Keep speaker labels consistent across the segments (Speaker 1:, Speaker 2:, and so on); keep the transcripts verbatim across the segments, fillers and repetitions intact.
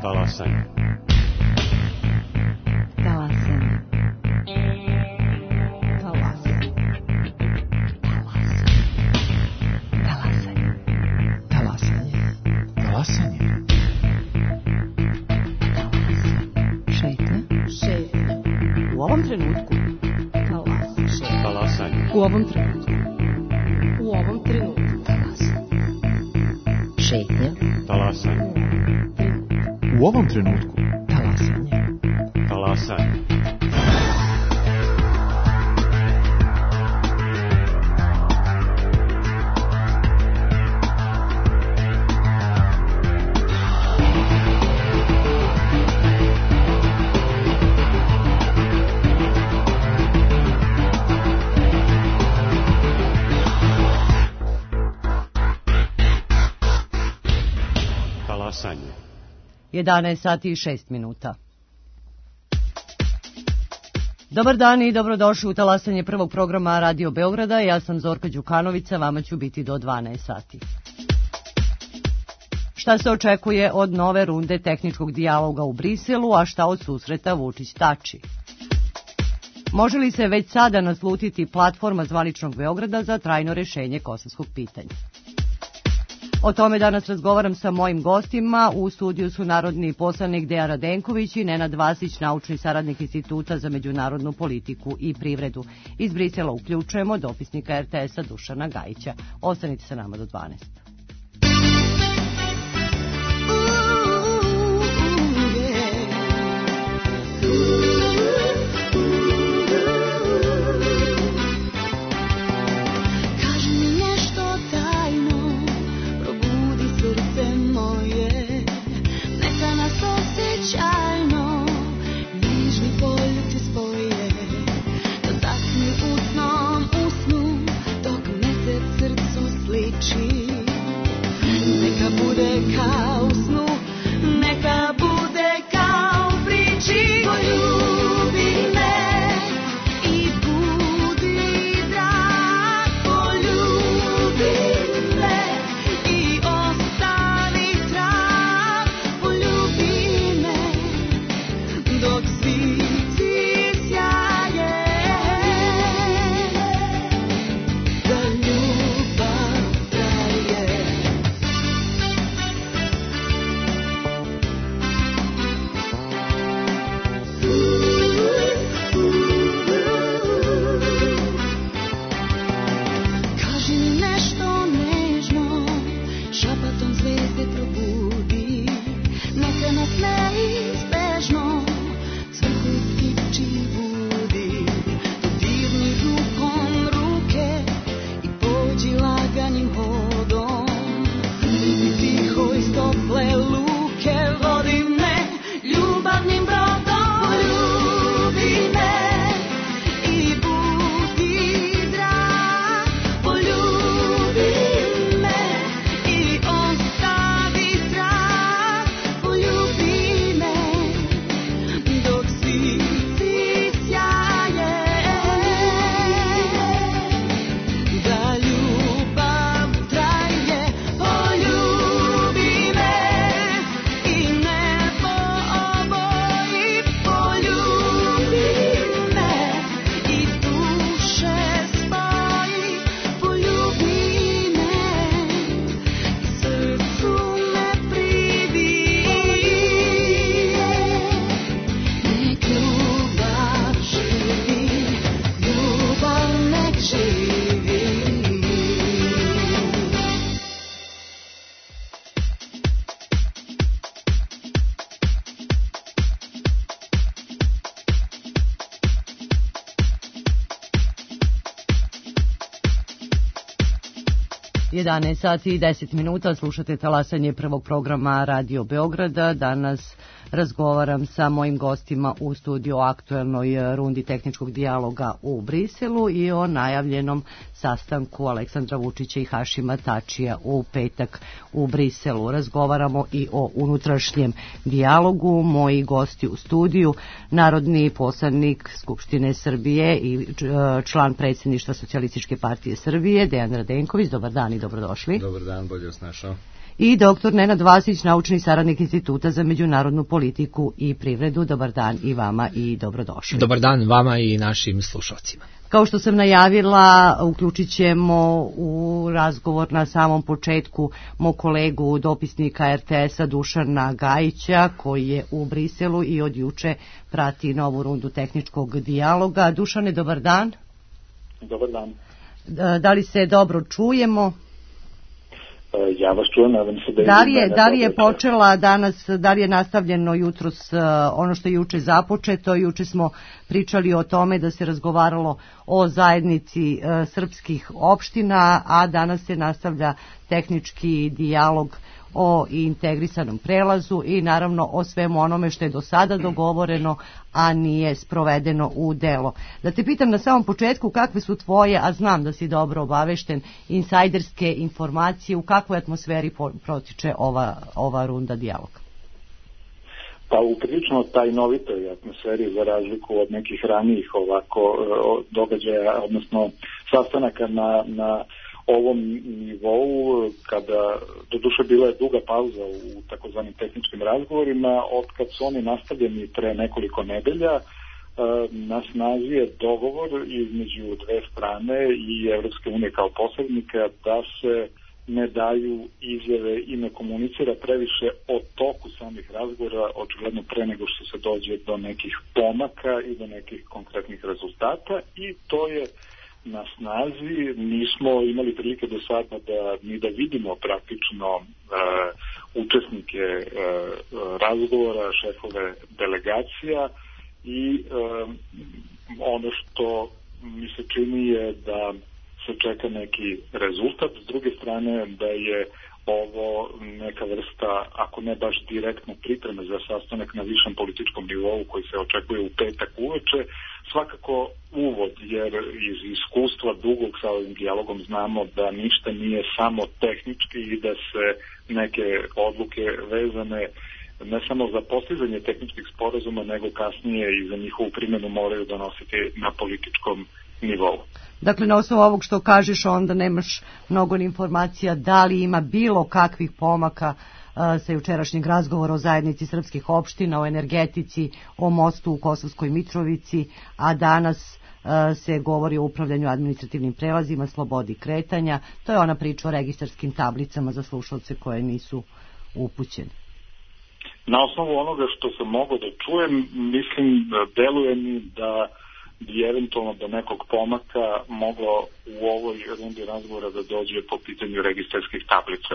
Speaker 1: Talasanje.
Speaker 2: Talasanje. Talasanje. Talasanje. Talasanje.
Speaker 3: Talasanje.
Speaker 2: Šetnja. Šetnja. U ovom trenutku. Talasanje.
Speaker 1: Talasanje.
Speaker 2: U ovom trenutku. U ovom trenutku. Talasanje. Šetnja.
Speaker 1: Talasanje.
Speaker 3: U ovom trenutku.
Speaker 2: Talasanje.
Speaker 1: Talasanje. Talasanje.
Speaker 2: jedanaest sati i šest minuta. Dobar dan i dobrodošli u talasanje prvog programa Radio Beograda. Ja sam Zorka Đukanovića, vama ću biti do dvanaest sati. Šta se očekuje od nove runde tehničkog dijaloga u Briselu, a šta od susreta Vučić-Tači? Može li se već sada naslutiti platforma zvaničnog Beograda za trajno rešenje kosovskog pitanja? O tome danas razgovaram sa mojim gostima. U studiju su narodni poslanik Dejan Radenković i Nenad Vasić, naučni saradnik Instituta za međunarodnu politiku i privredu. Iz Brisela uključujemo dopisnika er te es-a Dušana Gajića. Ostanite sa nama do dvanaest. jedanaest sati i deset minuta, slušate talasanje prvog programa Radio Beograda. Danas razgovaram sa mojim gostima u studiju o aktuelnoj rundi tehničkog dijaloga u Briselu i o najavljenom sastanku Aleksandra Vučića i Hašima Tačija u petak u Briselu. Razgovaramo i o unutrašnjem dijalogu. Moji gosti u studiju, narodni poslanik Skupštine Srbije i član predsjedništva Socijalističke partije Srbije, Dejan Radenković. Dobar dan i dobrodošli.
Speaker 3: Dobar dan, bolje vas našao.
Speaker 2: i doktor Nenad Vasić, naučni saradnik Instituta za međunarodnu politiku i privredu. Dobar dan i vama i dobrodošli.
Speaker 4: Dobar dan vama i našim slušalcima.
Speaker 2: Kao što sam najavila, uključit ćemo u razgovor na samom početku mog kolegu dopisnika R T S-a Dušana Gajića, koji je u Briselu i od juče prati novu rundu tehničkog dijaloga. Dušane, dobar dan.
Speaker 5: Dobar dan.
Speaker 2: Da li se dobro čujemo?
Speaker 5: Ja vas čujem, nadam se da...
Speaker 2: Da li je, da li je počela danas, da li je nastavljeno jutros ono što je juče započeto? Juče smo pričali o tome da se razgovaralo o zajednici srpskih opština, a danas se nastavlja tehnički dijalog o integrisanom prelazu i naravno o svemu onome što je do sada dogovoreno, a nije sprovedeno u delo. Da te pitam na samom početku kakve su tvoje, a znam da si dobro obavešten, insajderske informacije, u kakvoj atmosferi protiče ova, ova runda dijaloga?
Speaker 5: Pa u prilično tajnovitoj atmosferi, za razliku od nekih ranijih ovako događaja, odnosno sastanaka na, na ovom nivou, kada doduše bila je duga pauza u takozvanim tehničkim razgovorima, od kad su oni nastavljeni pre nekoliko nedelja, na snazi je dogovor između dve strane i Evropske unije kao posrednika da se ne daju izjave i ne komunicira previše o toku samih razgovora, očigledno pre nego što se dođe do nekih pomaka i do nekih konkretnih rezultata, i to je na snazi. Nismo imali prilike do sada da ni da vidimo praktično e, učesnike e, razgovora, šefove delegacija, i e, ono što mi se čini je da se čeka neki rezultat. S druge strane, da je ovo neka vrsta, ako ne baš direktno pripreme za sastanak na višem političkom nivou koji se očekuje u petak uveče, svakako uvod, jer iz iskustva dugog sa ovim dijalogom znamo da ništa nije samo tehnički i da se neke odluke vezane ne samo za postizanje tehničkih sporazuma, nego kasnije i za njihovu primjenu moraju donositi na političkom nivou.
Speaker 2: Dakle, na osnovu ovog što kažeš, onda nemaš mnogo informacija da li ima bilo kakvih pomaka uh, sa jučerašnjeg razgovora o zajednici srpskih opština, o energetici, o mostu u Kosovskoj Mitrovici, a danas uh, se govori o upravljanju administrativnim prelazima, slobodi kretanja. To je ona priča o registarskim tablicama za slušalce koje nisu upućene.
Speaker 5: Na osnovu onoga što sam mogao da čujem, mislim, deluje mi da bi eventualno do nekog pomaka moglo u ovoj rundi razgovora da dođe po pitanju registarskih tablica.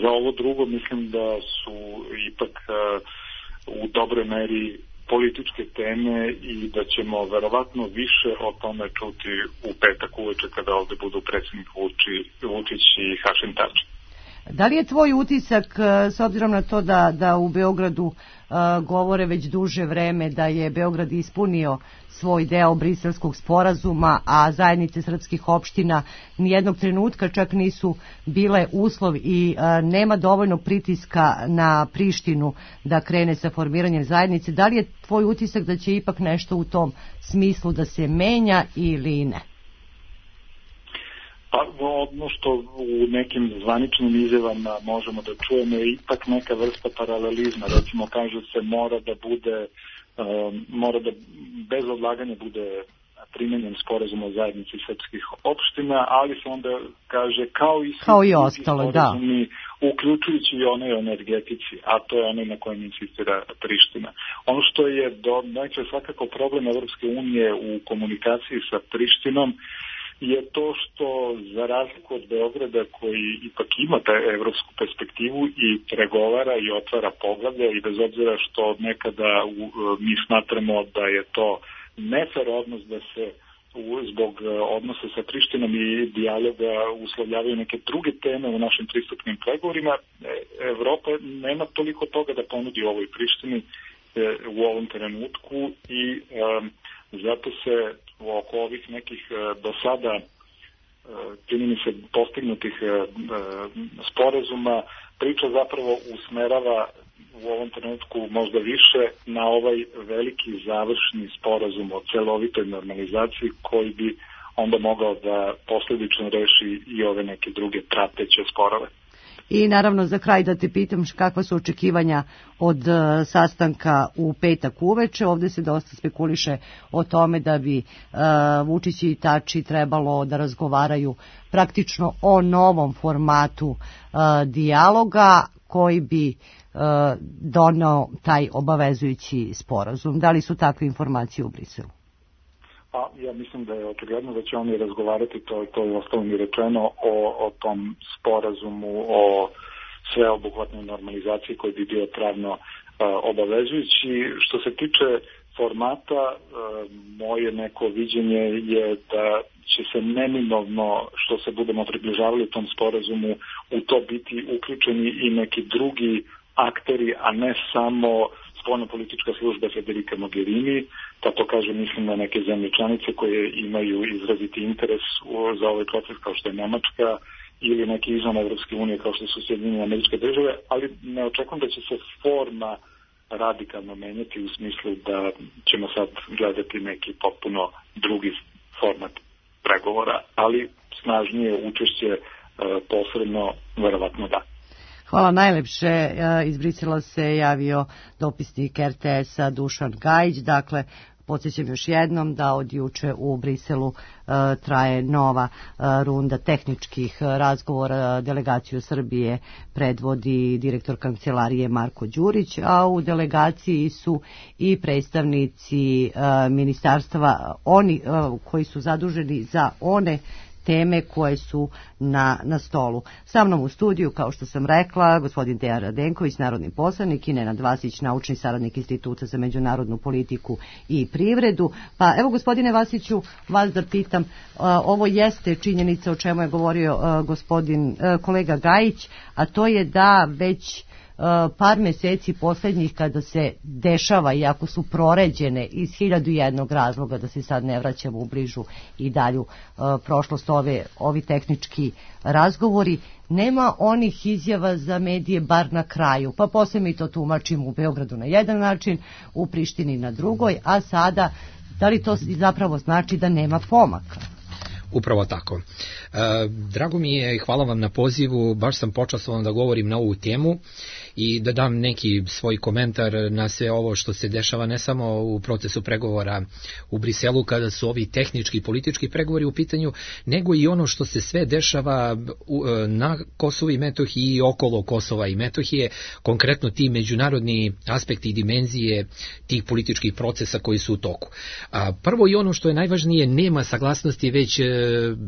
Speaker 5: Za ovo drugo mislim da su ipak uh, u dobroj meri političke teme i da ćemo verovatno više o tome čuti u petak uveče kada ovde budu predsjednik Vučić i Hašim Tači.
Speaker 2: Da li je tvoj utisak, s obzirom na to da, da u Beogradu uh, govore već duže vreme da je Beograd ispunio svoj deo Briselskog sporazuma, a zajednice srpskih opština nijednog trenutka čak nisu bile uslov i uh, nema dovoljno pritiska na Prištinu da krene sa formiranjem zajednice, da li je tvoj utisak da će ipak nešto u tom smislu da se menja ili ne?
Speaker 5: Pa ono što u nekim zvaničnim izjavama možemo da čujemo je ipak neka vrsta paralelizma. Recimo, kaže se mora da bude, um, mora da bez odlaganja bude primjenjen sporazum o zajednici srpskih opština, ali se onda kaže kao i svi
Speaker 2: kao i ostalo, da,
Speaker 5: uključujući i onaj o energetici, a to je onaj na kojem insistira Priština. Ono što je do neće svakako problem Evropske unije u komunikaciji sa Prištinom je to što, za razliku od Beograda koji ipak ima ta evropsku perspektivu i pregovara i otvara poglavlja, i bez obzira što nekada mi smatramo da je to nefer odnos, da se zbog odnosa sa Prištinom i dijaloga uslovljavaju neke druge teme u našim pristupnim pregovorima, Evropa nema toliko toga da ponudi ovoj Prištini u ovom trenutku, i um, zato se oko ovih nekih do sada čini mi se postignutih sporazuma priča zapravo usmerava u ovom trenutku možda više na ovaj veliki završni sporazum o celovitoj normalizaciji koji bi onda mogao da posledično reši i ove neke druge prateće sporove.
Speaker 2: I naravno za kraj da te pitam kakva su očekivanja od uh, sastanka u petak uveče. Ovdje se dosta spekuliše o tome da bi uh, Vučić i Tači trebalo da razgovaraju praktično o novom formatu uh, dijaloga koji bi uh, doneo taj obavezujući sporazum. Da li su takve informacije u Briselu?
Speaker 5: Pa ja mislim da je očigledno da će oni razgovarati, to, to je ostalo mi rečeno, o, o tom sporazumu, o sveobuhvatnoj normalizaciji koji bi bio pravno uh, obavezujući. Što se tiče formata, uh, moje neko viđenje je da će se neminovno, što se budemo približavali tom sporazumu, u to biti uključeni i neki drugi akteri, a ne samo spoljnopolitička služba Federica Mogherini, pa to kaže mislim na neke zemlje članice koje imaju izraziti interes za ovaj proces kao što je Nemačka ili neki izvan Evropske unije kao što su Sjedinjene Američke Države, ali ne očekujem da će se forma radikalno menjati u smislu da ćemo sad gledati neki potpuno drugi format pregovora, ali snažnije učešće posredno verovatno da.
Speaker 2: Hvala najlepše. Iz Brisela se javio dopisnik er te es-a Dušan Gajić. Dakle, podsjećam još jednom da od juče u Briselu uh, traje nova uh, runda tehničkih uh, razgovora. Delegaciju Srbije predvodi direktor kancelarije Marko Đurić, a u delegaciji su i predstavnici uh, ministarstva, oni uh, koji su zaduženi za one teme koje su na, na stolu. Sa mnom u studiju, kao što sam rekla, gospodin Dejan Radenković, narodni poslanik, i Nenad Vasić, naučni saradnik Instituta za međunarodnu politiku i privredu. Pa evo, gospodine Vasiću, vas da pitam, ovo jeste činjenica o čemu je govorio gospodin kolega Gajić, a to je da već par meseci posljednjih kada se dešava, iako su proređene iz hiljadu jednog razloga, da se sad ne vraćamo u bližu i dalju uh, prošlost, ove, ovi tehnički razgovori, nema onih izjava za medije bar na kraju, pa posle mi to tumačimo u Beogradu na jedan način, u Prištini na drugoj, a sada da li to zapravo znači da nema pomaka?
Speaker 4: Upravo tako. E, drago mi je i hvala vam na pozivu, baš sam počastovan da govorim na ovu temu i da dam neki svoj komentar na sve ovo što se dešava ne samo u procesu pregovora u Briselu kada su ovi tehnički i politički pregovori u pitanju, nego i ono što se sve dešava na Kosovu i Metohiji i okolo Kosova i Metohije, konkretno ti međunarodni aspekti i dimenzije tih političkih procesa koji su u toku. A, prvo i ono što je najvažnije, nema saglasnosti već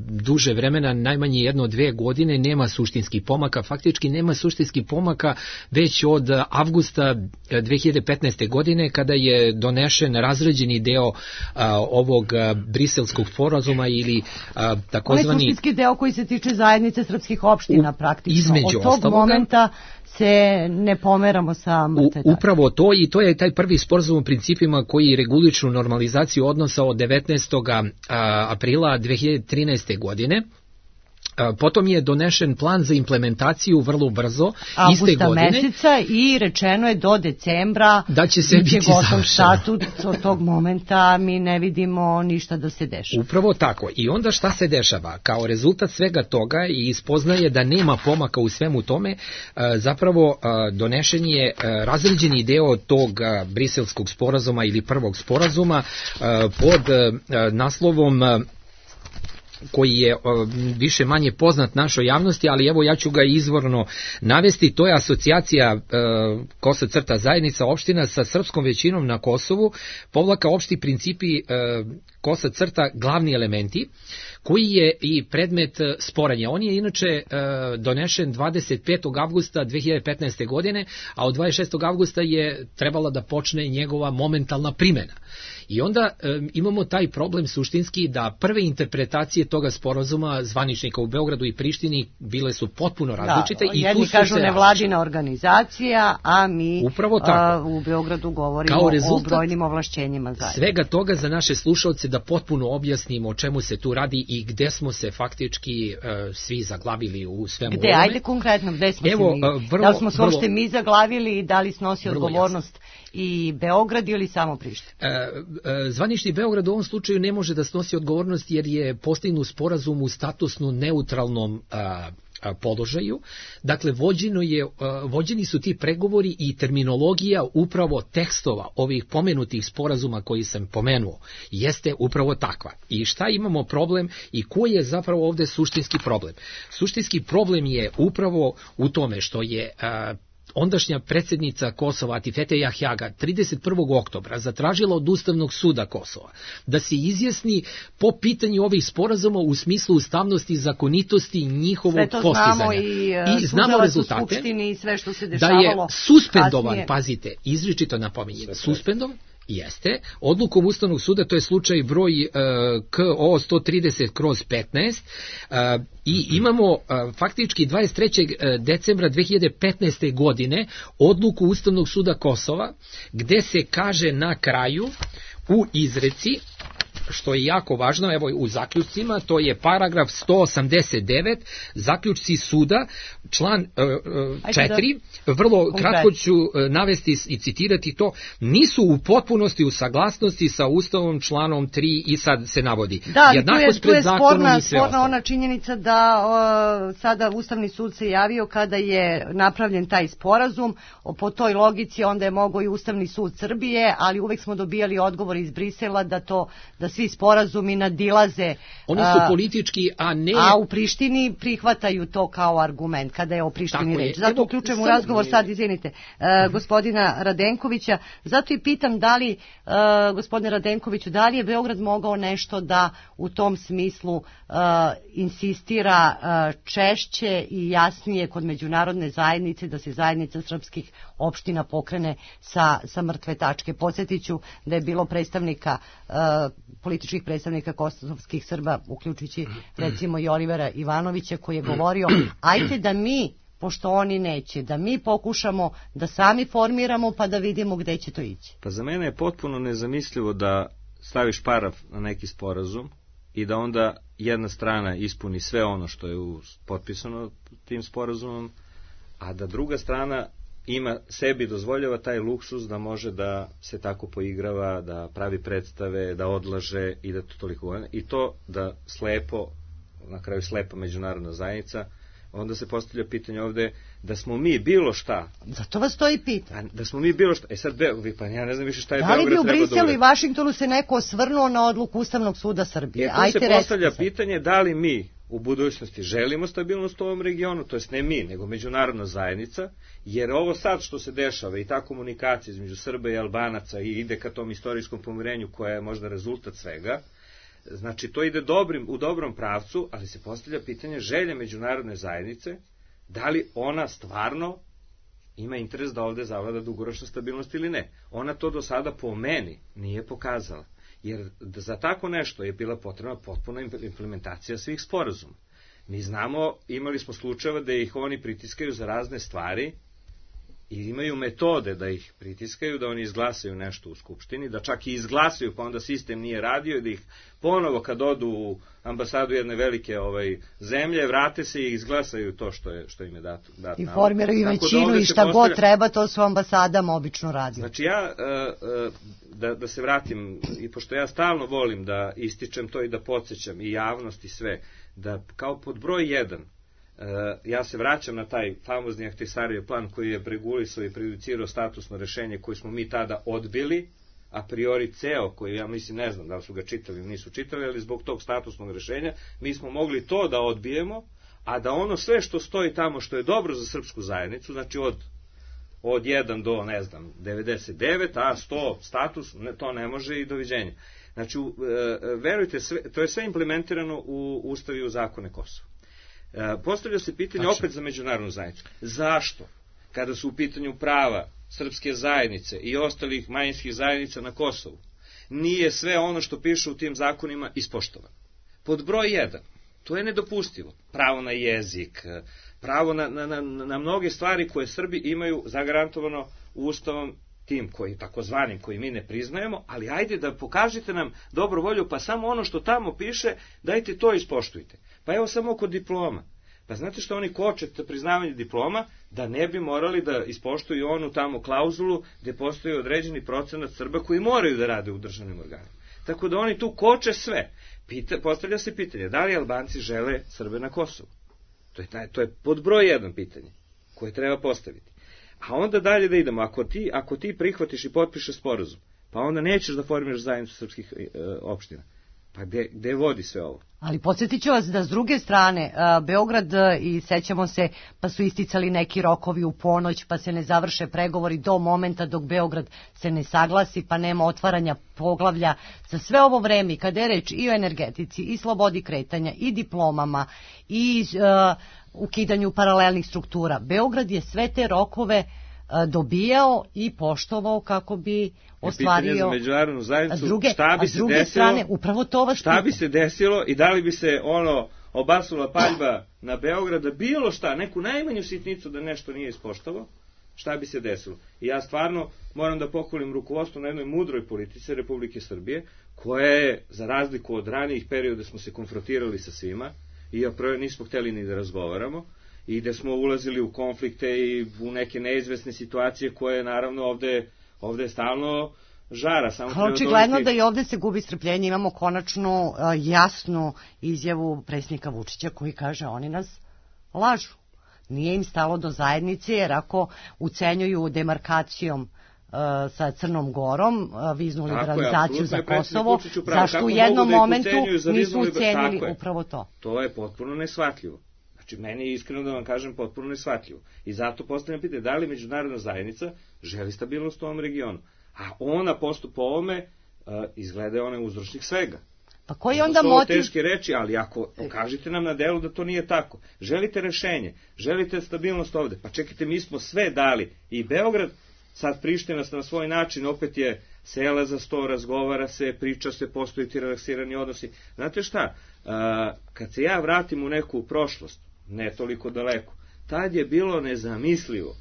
Speaker 4: duže vremena, najmanje jedno dve godine, nema suštinskih pomaka, faktički nema suštinskih pomaka već od avgusta dve hiljade petnaeste. godine kada je donešen razrađeni deo a, ovog a, briselskog sporazuma ili a, takozvani...
Speaker 2: On je suštinski deo koji se tiče zajednice srpskih opština
Speaker 4: u,
Speaker 2: praktično.
Speaker 4: Između
Speaker 2: od tog
Speaker 4: ostaloga,
Speaker 2: momenta se ne pomeramo sa mrtve tačke.
Speaker 4: Upravo to, i to je taj prvi sporazum u principima koji regulišu normalizaciju odnosa od devetnaestog aprila dve hiljade trinaeste. godine. Potom je donešen plan za implementaciju vrlo brzo,
Speaker 2: Augusta
Speaker 4: iste godine.
Speaker 2: meseca, i rečeno je do decembra
Speaker 4: da će se biti
Speaker 2: gotov statut. Od tog momenta mi ne vidimo ništa da se dešava.
Speaker 4: Upravo tako. I onda šta se dešava? Kao rezultat svega toga i ispoznaje da nema pomaka u svemu tome, zapravo donešen je razređeni deo tog briselskog sporazuma ili prvog sporazuma pod naslovom koji je više manje poznat našoj javnosti, ali evo ja ću ga izvorno navesti. To je asocijacija e, Kosa crta zajednica opština sa srpskom većinom na Kosovu, povlaka opšti principi e, Kosa crta glavni elementi, koji je i predmet sporenja. On je inače e, donešen dvadeset petog avgusta dve hiljade petnaeste. godine, a od dvadeset šestog avgusta je trebala da počne njegova momentalna primjena. I onda e, imamo taj problem suštinski da prve interpretacije toga sporazuma zvaničnika u Beogradu i Prištini bile su potpuno različite.
Speaker 2: Da,
Speaker 4: i
Speaker 2: jedni
Speaker 4: tu su
Speaker 2: kažu
Speaker 4: se
Speaker 2: nevladina organizacija, a mi
Speaker 4: a,
Speaker 2: u Beogradu govorimo o brojnim ovlašćenjima zajedno.
Speaker 4: Svega toga za naše slušalce da potpuno objasnimo o čemu se tu radi i gde smo se faktički uh, svi zaglavili u svemu
Speaker 2: gde,
Speaker 4: ovome.
Speaker 2: Ajde konkretno, gde smo
Speaker 4: Evo,
Speaker 2: se mi?
Speaker 4: Vrlo,
Speaker 2: da li smo se
Speaker 4: vrlo,
Speaker 2: uopšte mi zaglavili i da li snosi odgovornost
Speaker 4: jasno.
Speaker 2: I Beograd ili samo Priština?
Speaker 4: E, e, zvanični Beograd u ovom slučaju ne može da snosi odgovornost jer je postignut sporazum u statusno neutralnom a, položaju. Dakle, vođeno je, vođeni su ti pregovori i terminologija upravo tekstova ovih pomenutih sporazuma koji sam pomenuo jeste upravo takva. I šta imamo problem i koji je zapravo ovde suštinski problem? Suštinski problem je upravo u tome što je ondašnja predsjednica Kosova Atifete Jahjaga trideset prvog oktobra zatražila od Ustavnog suda Kosova da se izjasni po pitanju ovih sporazuma u smislu ustavnosti i zakonitosti njihovog postizanja.
Speaker 2: Sve to znamo i,
Speaker 4: I znamo rezultate,
Speaker 2: u Skupštini i sve što se
Speaker 4: da
Speaker 2: dešavalo.
Speaker 4: je suspendovan,
Speaker 2: kasnije.
Speaker 4: Pazite, izričito napominjem, suspendovan, jeste, odlukom Ustavnog suda, to je slučaj broj uh, K O sto trideset kroz petnaest, uh, i imamo uh, faktički dvadeset trećeg decembra dve hiljade petnaeste. godine odluku Ustavnog suda Kosova, gde se kaže na kraju u izreci, što je jako važno, evo u zaključcima, to je paragraf sto osamdeset devet, zaključci suda, član uh, četiri, vrlo konkret. Kratko ću uh, navesti i citirati to, nisu u potpunosti u saglasnosti sa Ustavom članom tri i sad se navodi.
Speaker 2: Da,
Speaker 4: jednakost
Speaker 2: tu je, tu je
Speaker 4: pred zakonom
Speaker 2: sporna,
Speaker 4: i sve
Speaker 2: sporna
Speaker 4: ostalo.
Speaker 2: ona činjenica da uh, sada Ustavni sud se javio kada je napravljen taj sporazum, po toj logici onda je mogao i Ustavni sud Srbije, ali uvek smo dobijali odgovor iz Brisela da to da svi sporazumi nadilaze.
Speaker 4: Oni su politički, a ne...
Speaker 2: A u Prištini prihvataju to kao argument, kada je o Prištini reč. Zato uključujem u razgovor sad, izvinite, uh, gospodina Radenkovića. Zato i pitam da li, uh, gospodine Radenkoviću, da li je Beograd mogao nešto da u tom smislu uh, insistira uh, češće i jasnije kod međunarodne zajednice, da se zajednica srpskih opština pokrene sa, sa mrtve tačke. Podsjetiću da je bilo predstavnika uh, političkih predstavnika kosovskih Srba, uključujući recimo i Olivera Ivanovića, koji je govorio, ajte da mi, pošto oni neće, da mi pokušamo da sami formiramo pa da vidimo gde će to ići.
Speaker 6: Pa za mene je potpuno nezamislivo da staviš paraf na neki sporazum i da onda jedna strana ispuni sve ono što je potpisano tim sporazumom, a da druga strana ima, sebi dozvoljava taj luksus da može da se tako poigrava, da pravi predstave, da odlaže i da to toliko... I to da slepo, na kraju slepa međunarodna zajednica, onda se postavlja pitanje ovde da smo mi bilo šta...
Speaker 2: Zato vas to i pita.
Speaker 6: Da smo mi bilo šta... E sad, pa ja ne znam više šta je
Speaker 2: da
Speaker 6: Beograd treba da
Speaker 2: li bi u Briselu i
Speaker 6: uradi.
Speaker 2: Vašingtonu se neko osvrnuo na odluku Ustavnog suda Srbije?
Speaker 6: E, tu se postavlja pitanje da li mi u budućnosti želimo stabilnost u ovom regionu, to jest ne mi, nego međunarodna zajednica, jer ovo sad što se dešava i ta komunikacija između Srba i Albanaca i ide ka tom istorijskom pomirenju koja je možda rezultat svega, znači to ide dobrim, u dobrom pravcu, ali se postavlja pitanje želje međunarodne zajednice, da li ona stvarno ima interes da ovde zavlada dugoročna stabilnost ili ne. Ona to do sada po meni nije pokazala. Jer za tako nešto je bila potrebna potpuna implementacija svih sporazuma. Mi znamo, imali smo slučajeva da ih oni pritiskaju za razne stvari i imaju metode da ih pritiskaju, da oni izglasaju nešto u Skupštini, da čak i izglasaju pa onda sistem nije radio i da ih ponovo kad odu u ambasadu jedne velike ovaj, zemlje, vrate se i izglasaju to što, je, što im je dato. Dat
Speaker 2: I formiraju većinu
Speaker 6: da
Speaker 2: i šta postavlja... god treba, to su ambasadama obično radi.
Speaker 6: Znači ja, da, da se vratim, i pošto ja stalno volim da ističem to i da podsjećam i javnost i sve, da kao pod broj jedan, ja se vraćam na taj famozni Ahtisarijev plan koji je regulisao i prejudicirao statusno rešenje koje smo mi tada odbili, a priori ceo, koji ja mislim ne znam da li su ga čitali ili nisu čitali, ali zbog tog statusnog rešenja mi smo mogli to da odbijemo, a da ono sve što stoji tamo što je dobro za srpsku zajednicu, znači od od jedan do, ne znam, devedeset devet, a sto status, ne, to ne može i doviđenja. Znači, verujte, sve, to je sve implementirano u Ustav i u zakone Kosova. Postavlja se pitanje Tačno. opet za međunarodnu zajednicu. Zašto, kada su u pitanju prava srpske zajednice i ostalih manjinskih zajednica na Kosovu, nije sve ono što piše u tim zakonima ispoštovano? Pod broj jedan, to je nedopustivo. Pravo na jezik, pravo na, na, na, na mnoge stvari koje Srbi imaju zagarantovano Ustavom tim koji, takozvanim, koji mi ne priznajemo, ali ajde da pokažete nam dobru volju, pa samo ono što tamo piše, dajte to ispoštujte. Pa evo samo kod diploma. Pa znate što oni koče priznavanje diploma, da ne bi morali da ispoštuju onu tamo klauzulu gde postoji određeni procenat Srba koji moraju da rade u državnim organima. Tako da oni tu koče sve. Pita, postavlja se pitanje, da li Albanci žele Srbe na Kosovu? To je, taj, to je pod broj jedan pitanje koje treba postaviti. A onda dalje da idemo, ako ti, ako ti prihvatiš i potpišeš sporazum, pa onda nećeš da formiraš zajednicu srpskih e, opština. Pa gde, gde vodi sve ovo?
Speaker 2: Ali podsjetit ću vas da s druge strane, Beograd, i sećamo se, pa su isticali neki rokovi u ponoć, pa se ne završe pregovori do momenta dok Beograd se ne saglasi, pa nema otvaranja poglavlja. Za sve ovo vreme, kada je reč i o energetici, i slobodi kretanja, i diplomama, i uh, ukidanju paralelnih struktura, Beograd je sve te rokove dobijao i poštovao kako bi ostvario.
Speaker 6: Pitanje za međunarodnu zajednicu,
Speaker 2: druge,
Speaker 6: šta bi se desilo,
Speaker 2: strane, upravo to vas
Speaker 6: šta bi se desilo i da li bi se ono obasula paljba na Beograd, da bilo šta, neku najmanju sitnicu da nešto nije ispoštovao, šta bi se desilo. I ja stvarno moram da pohvalim rukovodstvo na jednoj mudroj politici Republike Srbije, koja je, za razliku od ranijih perioda, smo se konfrontirali sa svima i prvo nismo hteli ni da razgovaramo, i da smo ulazili u konflikte i u neke neizvesne situacije koje naravno ovde, ovde je stalno žara. Samo treba
Speaker 2: očigledno
Speaker 6: dobiti...
Speaker 2: da i ovde se gubi strpljenje, imamo konačnu uh, jasnu izjavu predsjednika Vučića koji kaže oni nas lažu. Nije im stalo do zajednice, jer ako ucenjuju demarkacijom uh, sa Crnom Gorom uh, viznu liberalizaciju za Kosovo, zašto u jednom momentu nisu ucenili upravo to?
Speaker 6: To je potpuno neshvatljivo. Znači, meni je iskreno da vam kažem potpuno neshvatljivo. I zato postavljam pitanje, da li međunarodna zajednica želi stabilnost u ovom regionu? A ona postup po ovome uh, izgleda je onaj uzročnik svega.
Speaker 2: Pa koji onda motiv?
Speaker 6: Teške reči, ali ako pokažite nam na delu da to nije tako. Želite rešenje, želite stabilnost ovde. Pa čekajte, mi smo sve dali. I Beograd, sad Priština na svoj način, opet je sela za sto, razgovara se, priča se, postoji ti relaksirani odnosi. Znate šta, uh, kad se ja vratim u neku prošlost, ne toliko daleko, tad je bilo nezamislivo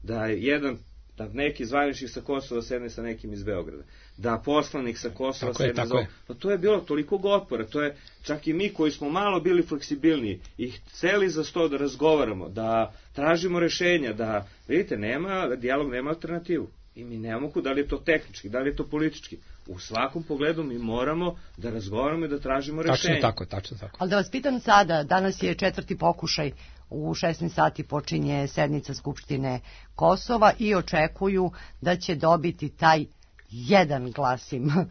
Speaker 6: da jedan, da neki zvaničnik sa Kosova sedne sa nekim iz Beograda, da poslanik sa Kosova tako sedne je, za... Pa to je bilo toliko otpora, to je čak i mi koji smo malo bili fleksibilniji i hteli za sto da razgovaramo, da tražimo rešenja, da, vidite, nema, dijalog nema alternativu. I mi nemamo ku, da li je to tehnički, da li je to politički. U svakom pogledu mi moramo da razgovaramo i da tražimo rešenje.
Speaker 4: Tačno tako, tačno tako.
Speaker 2: Ali da vas pitam sada, danas je četvrti pokušaj, u šesnaest sati počinje sednica Skupštine Kosova i očekuju da će dobiti taj jedan glas im e,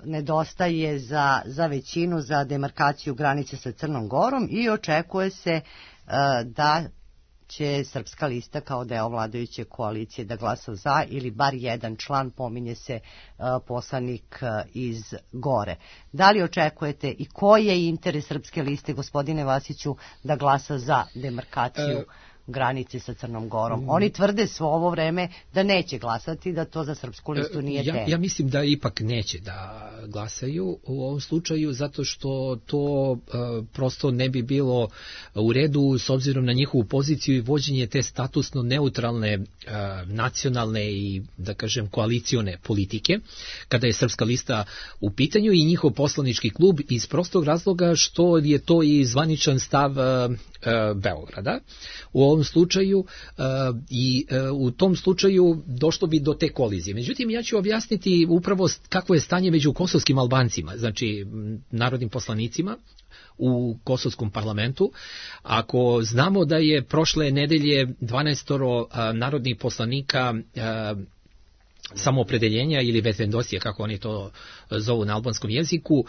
Speaker 2: nedostaje za, za većinu, za demarkaciju granice sa Crnom Gorom i očekuje se e, da će Srpska lista kao deo vladajuće koalicije da glasa za, ili bar jedan član, pominje se uh, poslanik uh, iz Gore. Da li očekujete i koji je interes Srpske liste, gospodine Vasiću, da glasa za demarkaciju e... granice sa Crnom Gorom? Oni tvrde svo ovo vreme da neće glasati, da to za Srpsku listu nije tema.
Speaker 4: Ja, ja mislim da ipak neće da glasaju u ovom slučaju, zato što to uh, prosto ne bi bilo u redu s obzirom na njihovu poziciju i vođenje te statusno neutralne uh, nacionalne i, da kažem, koalicione politike, kada je Srpska lista u pitanju i njihov poslanički klub, iz prostog razloga što je to i zvaničan stav uh, uh, Beograda u ovom slučaju uh, i uh, u tom slučaju došlo bi do te kolizije. Međutim, ja ću objasniti upravo kakvo je stanje među kosovskim Albancima, znači narodnim poslanicima u kosovskom parlamentu. Ako znamo da je prošle nedelje dvanaest uh, narodnih poslanika uh, samoopredeljenja ili vetendosije, kako oni to zovu na albanskom jeziku,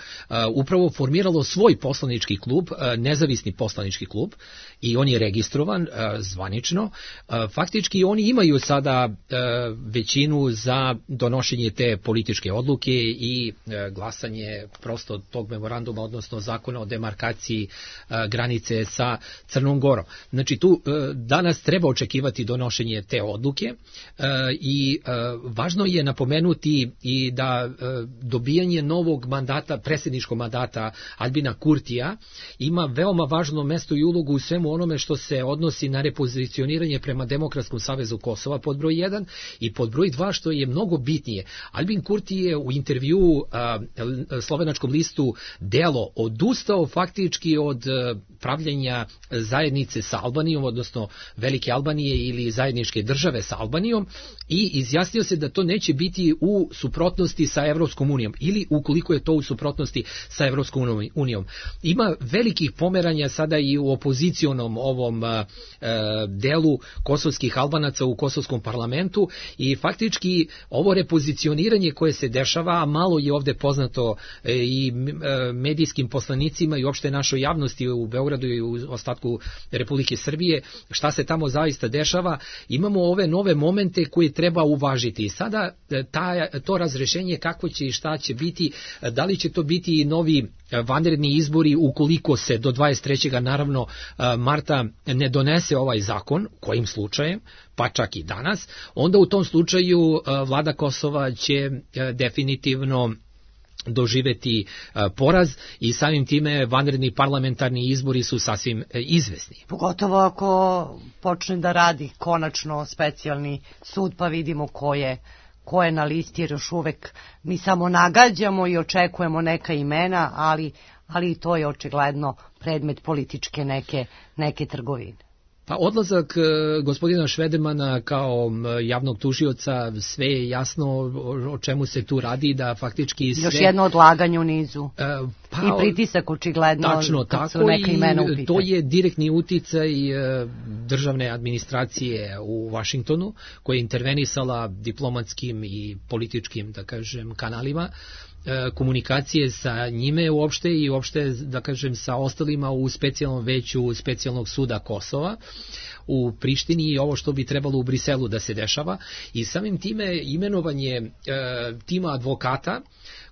Speaker 4: upravo formiralo svoj poslanički klub, nezavisni poslanički klub, i on je registrovan zvanično. Faktički oni imaju sada većinu za donošenje te političke odluke i glasanje prosto tog memoranduma, odnosno zakona o demarkaciji granice sa Crnom Gorom. Znači tu danas treba očekivati donošenje te odluke i važno je napomenuti i da dobijanje novog mandata, predsjedničkog mandata Albina Kurtija ima veoma važno mesto i ulogu u svemu onome što se odnosi na repozicioniranje prema Demokratskom savezu Kosova, pod broj jedan, i pod broj dva, što je mnogo bitnije. Albin Kurti je u intervju a, slovenačkom listu Delo odustao faktički od a, pravljenja zajednice sa Albanijom, odnosno Velike Albanije ili zajedničke države sa Albanijom, i izjasnio se da to neće biti u suprotnosti sa Evropskom unijom ili ukoliko je to u suprotnosti sa Evropskom unijom. Ima velikih pomeranja sada i u opozicionom ovom e, delu kosovskih Albanaca u kosovskom parlamentu i faktički ovo repozicioniranje koje se dešava, a malo je ovde poznato e, i e, medijskim poslanicima i uopšte našoj javnosti u Beogradu i u ostatku Republike Srbije, šta se tamo zaista dešava, imamo ove nove momente koje treba uvažiti. I sada ta, to razrešenje kako će i šta će biti, da li će to biti novi vanredni izbori ukoliko se do dvadeset trećeg naravno marta ne donese ovaj zakon, kojim slučajem, pa čak i danas, onda u tom slučaju vlada Kosova će definitivno doživeti poraz i samim time vanredni parlamentarni izbori su sasvim izvesni.
Speaker 2: Pogotovo ako počne da radi konačno specijalni sud pa vidimo ko je, ko je na listi, jer još uvek mi samo nagađamo i očekujemo neka imena, ali, ali to je očigledno predmet političke neke, neke trgovine.
Speaker 4: Pa odlazak gospodina Švedemana kao javnog tužioca, sve je jasno o čemu se tu radi, da faktički sve...
Speaker 2: Još jedno odlaganje u nizu.
Speaker 4: E, pa,
Speaker 2: I pritisak očigledno
Speaker 4: tačno,
Speaker 2: kad
Speaker 4: tako,
Speaker 2: su neka imena u pitanju.
Speaker 4: To je direktni uticaj državne administracije u Vašingtonu, koja je intervenisala diplomatskim i političkim, da kažem, kanalima, komunikacije sa njime uopšte i uopšte, da kažem, sa ostalima u specijalnom veću specijalnog suda Kosova u Prištini i ovo što bi trebalo u Briselu da se dešava. I samim time imenovanje e, tima advokata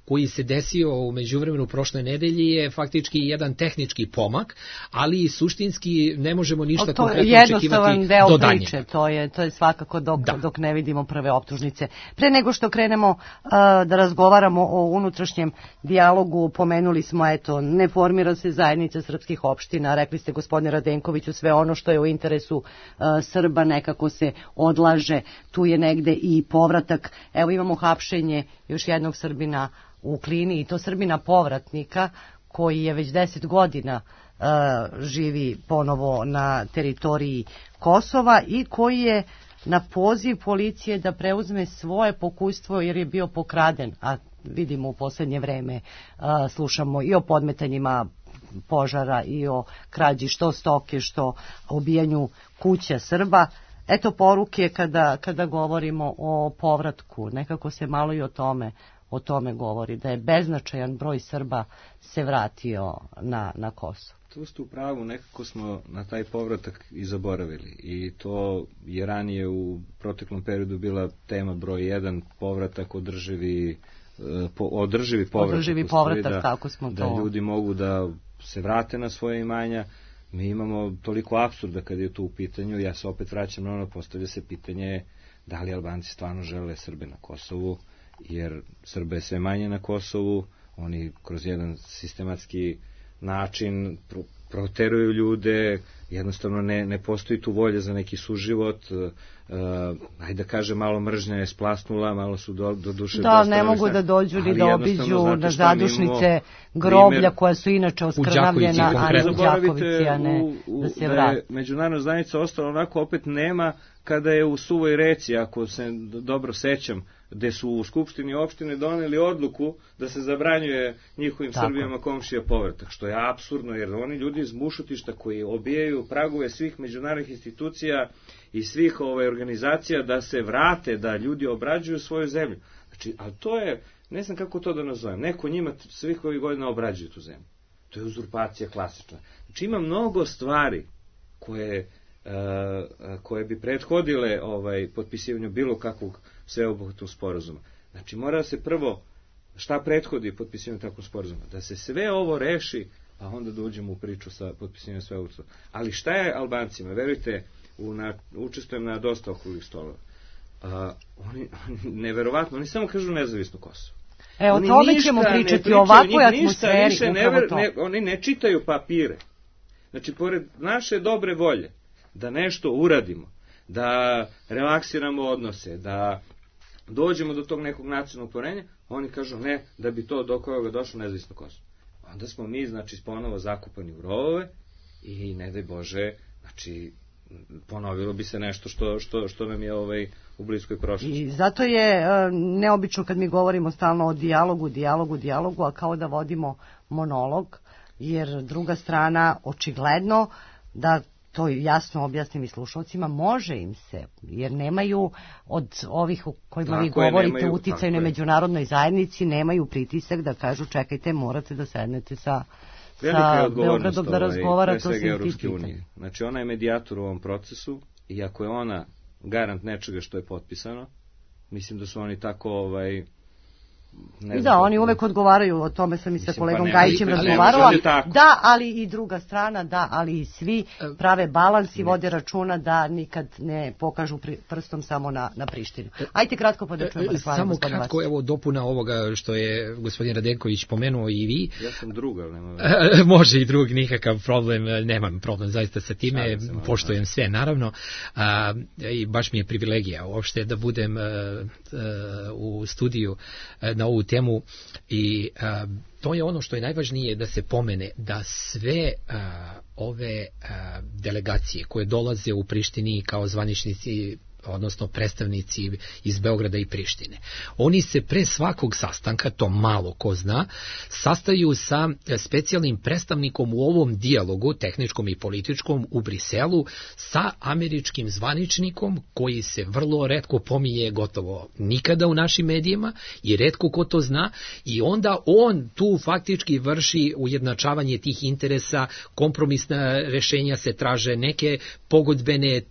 Speaker 4: koji se desio u međuvremenu prošle nedelje je faktički jedan tehnički pomak, ali suštinski ne možemo ništa konkretno očekivati do daljnjega. To je jednostavan deo priče, to je, to je svakako dok, da. dok ne vidimo prve optužnice. Pre nego što krenemo uh, da razgovaramo o unutrašnjem dijalogu, pomenuli smo, eto, ne formira se zajednica srpskih opština, rekli ste gospodine Radenkoviću, sve ono što je u interesu uh, Srba nekako se odlaže, tu je negde i povratak. Evo imamo hapšenje još jednog Srbina u Klini i to Srbina povratnika koji je već deset godina uh, živi ponovo na teritoriji Kosova i koji je na poziv policije da preuzme svoje pokustvo jer je bio pokraden, a vidimo u poslednje vreme uh, slušamo i o podmetanjima požara i o krađi što stoke, što obijanju kuća Srba. Eto poruke kada, kada govorimo o povratku, nekako se malo i o tome o tome govori, da je beznačajan broj Srba se vratio na, na Kosovo.
Speaker 6: Tu ste u pravu, nekako smo na taj povratak i zaboravili i to je ranije u proteklom periodu bila tema broj jedan, povratak održivi, po, održivi povratak. Održivi
Speaker 2: povratak, da, tako smo to.
Speaker 6: Da ljudi mogu da se vrate na svoje imanja. Mi imamo toliko apsurda kad je tu u pitanju, ja se opet vraćam na ono, postavlja se pitanje da li Albanci stvarno žele Srbe na Kosovu, jer Srbe je sve manje na Kosovu, oni kroz jedan sistematski način pro, proteruju ljude, jednostavno ne, ne postoji tu volja za neki suživot, uh, ajde da kaže malo mržnja je splasnula, malo su do, do duše...
Speaker 2: Da, ne mogu da dođu ni da obiđu na zadušnice groblja koja su inače oskrnavljena, a ne u Đakovici, a ne u, u, da se vrati. Da je
Speaker 6: međunarodna zajednica ostala onako, opet nema kada je u Suvoj reci, ako se dobro sećam, gde su u Skupštini opštine doneli odluku da se zabranjuje njihovim Tako. Srbijama komšija povratak, što je apsurdno, jer oni ljudi iz bušotišta koji obijaju pragove svih međunarodnih institucija i svih ove organizacija da se vrate, da ljudi obrađuju svoju zemlju. Znači, ali to je, ne znam kako to da nazovem, neko njima svih ovih godina obrađuje tu zemlju. To je uzurpacija klasična. Znači, ima mnogo stvari koje, uh, koje bi prethodile ovaj, potpisivanju bilo kakvog sveobuhvatnog sporazuma. Znači, mora se prvo, šta prethodi potpisivanju takvog sporazuma? Da se sve ovo reši, pa onda da uđemo u priču sa potpisivanjem sveobuhvatnog. Ali šta je Albancima? Verujte, u na, učestvujem na dosta okruglih stolova. Uh, oni, oni, neverovatno, oni samo kažu nezavisno Kosovo.
Speaker 2: E, o tome ćemo pričati, o ovakvoj atmosferi.
Speaker 6: Ne, ne, oni ne čitaju papire. Znači, pored naše dobre volje, da nešto uradimo, da relaksiramo odnose, da dođemo do tog nekog nacionalnog porenja, oni kažu ne, da bi to do koga došlo nezavisno Kosovo. Onda smo mi, znači, ponovo zakupani u rovove i ne daj Bože, znači, ponovilo bi se nešto što, što, što nam je ovaj, u bliskoj prošlosti.
Speaker 2: I zato je e, neobično kad mi govorimo stalno o dijalogu, dijalogu, dijalogu, a kao da vodimo monolog, jer druga strana očigledno da to jasno objasnim i slušalcima, može im se, jer nemaju od ovih o kojima tako vi govorite nemaju, uticaj na međunarodnoj zajednici, nemaju pritisak da kažu čekajte, morate da sednete sa, sa Beogradom da razgovarate o svim tim pitanjima.
Speaker 6: Znači ona je medijator u ovom procesu i ako je ona garant nečega što je potpisano, mislim da su oni tako ovaj,
Speaker 2: I da, oni uvek odgovaraju, o tome sam i sa kolegom pa Gajićem razgovarala. Da, ali i druga strana, da, ali i svi prave balans i vode računa da nikad ne pokažu prstom samo na, na Prištinu. Ajte kratko pa da čujemo.
Speaker 4: Samo kratko, vas. Evo dopuna ovoga što je gospodin Radenković pomenuo i vi.
Speaker 6: Ja sam drug, ali nema
Speaker 4: može i drug, nikakav problem, nemam problem zaista sa time, poštujem sve, naravno. A, i baš mi je privilegija uopšte da budem a, a, u studiju a, na ovu temu i a, to je ono što je najvažnije da se pomene, da sve a, ove a, delegacije koje dolaze u Prištini kao zvaničnici, odnosno predstavnici iz Beograda i Prištine. Oni se pre svakog sastanka, to malo ko zna, sastaju sa specijalnim predstavnikom u ovom dijalogu, tehničkom i političkom, u Briselu, sa američkim zvaničnikom koji se vrlo retko pominje, gotovo nikada u našim medijima i retko ko to zna, i onda on tu faktički vrši ujednačavanje tih interesa, kompromisna rešenja se traže, neke pogodbene,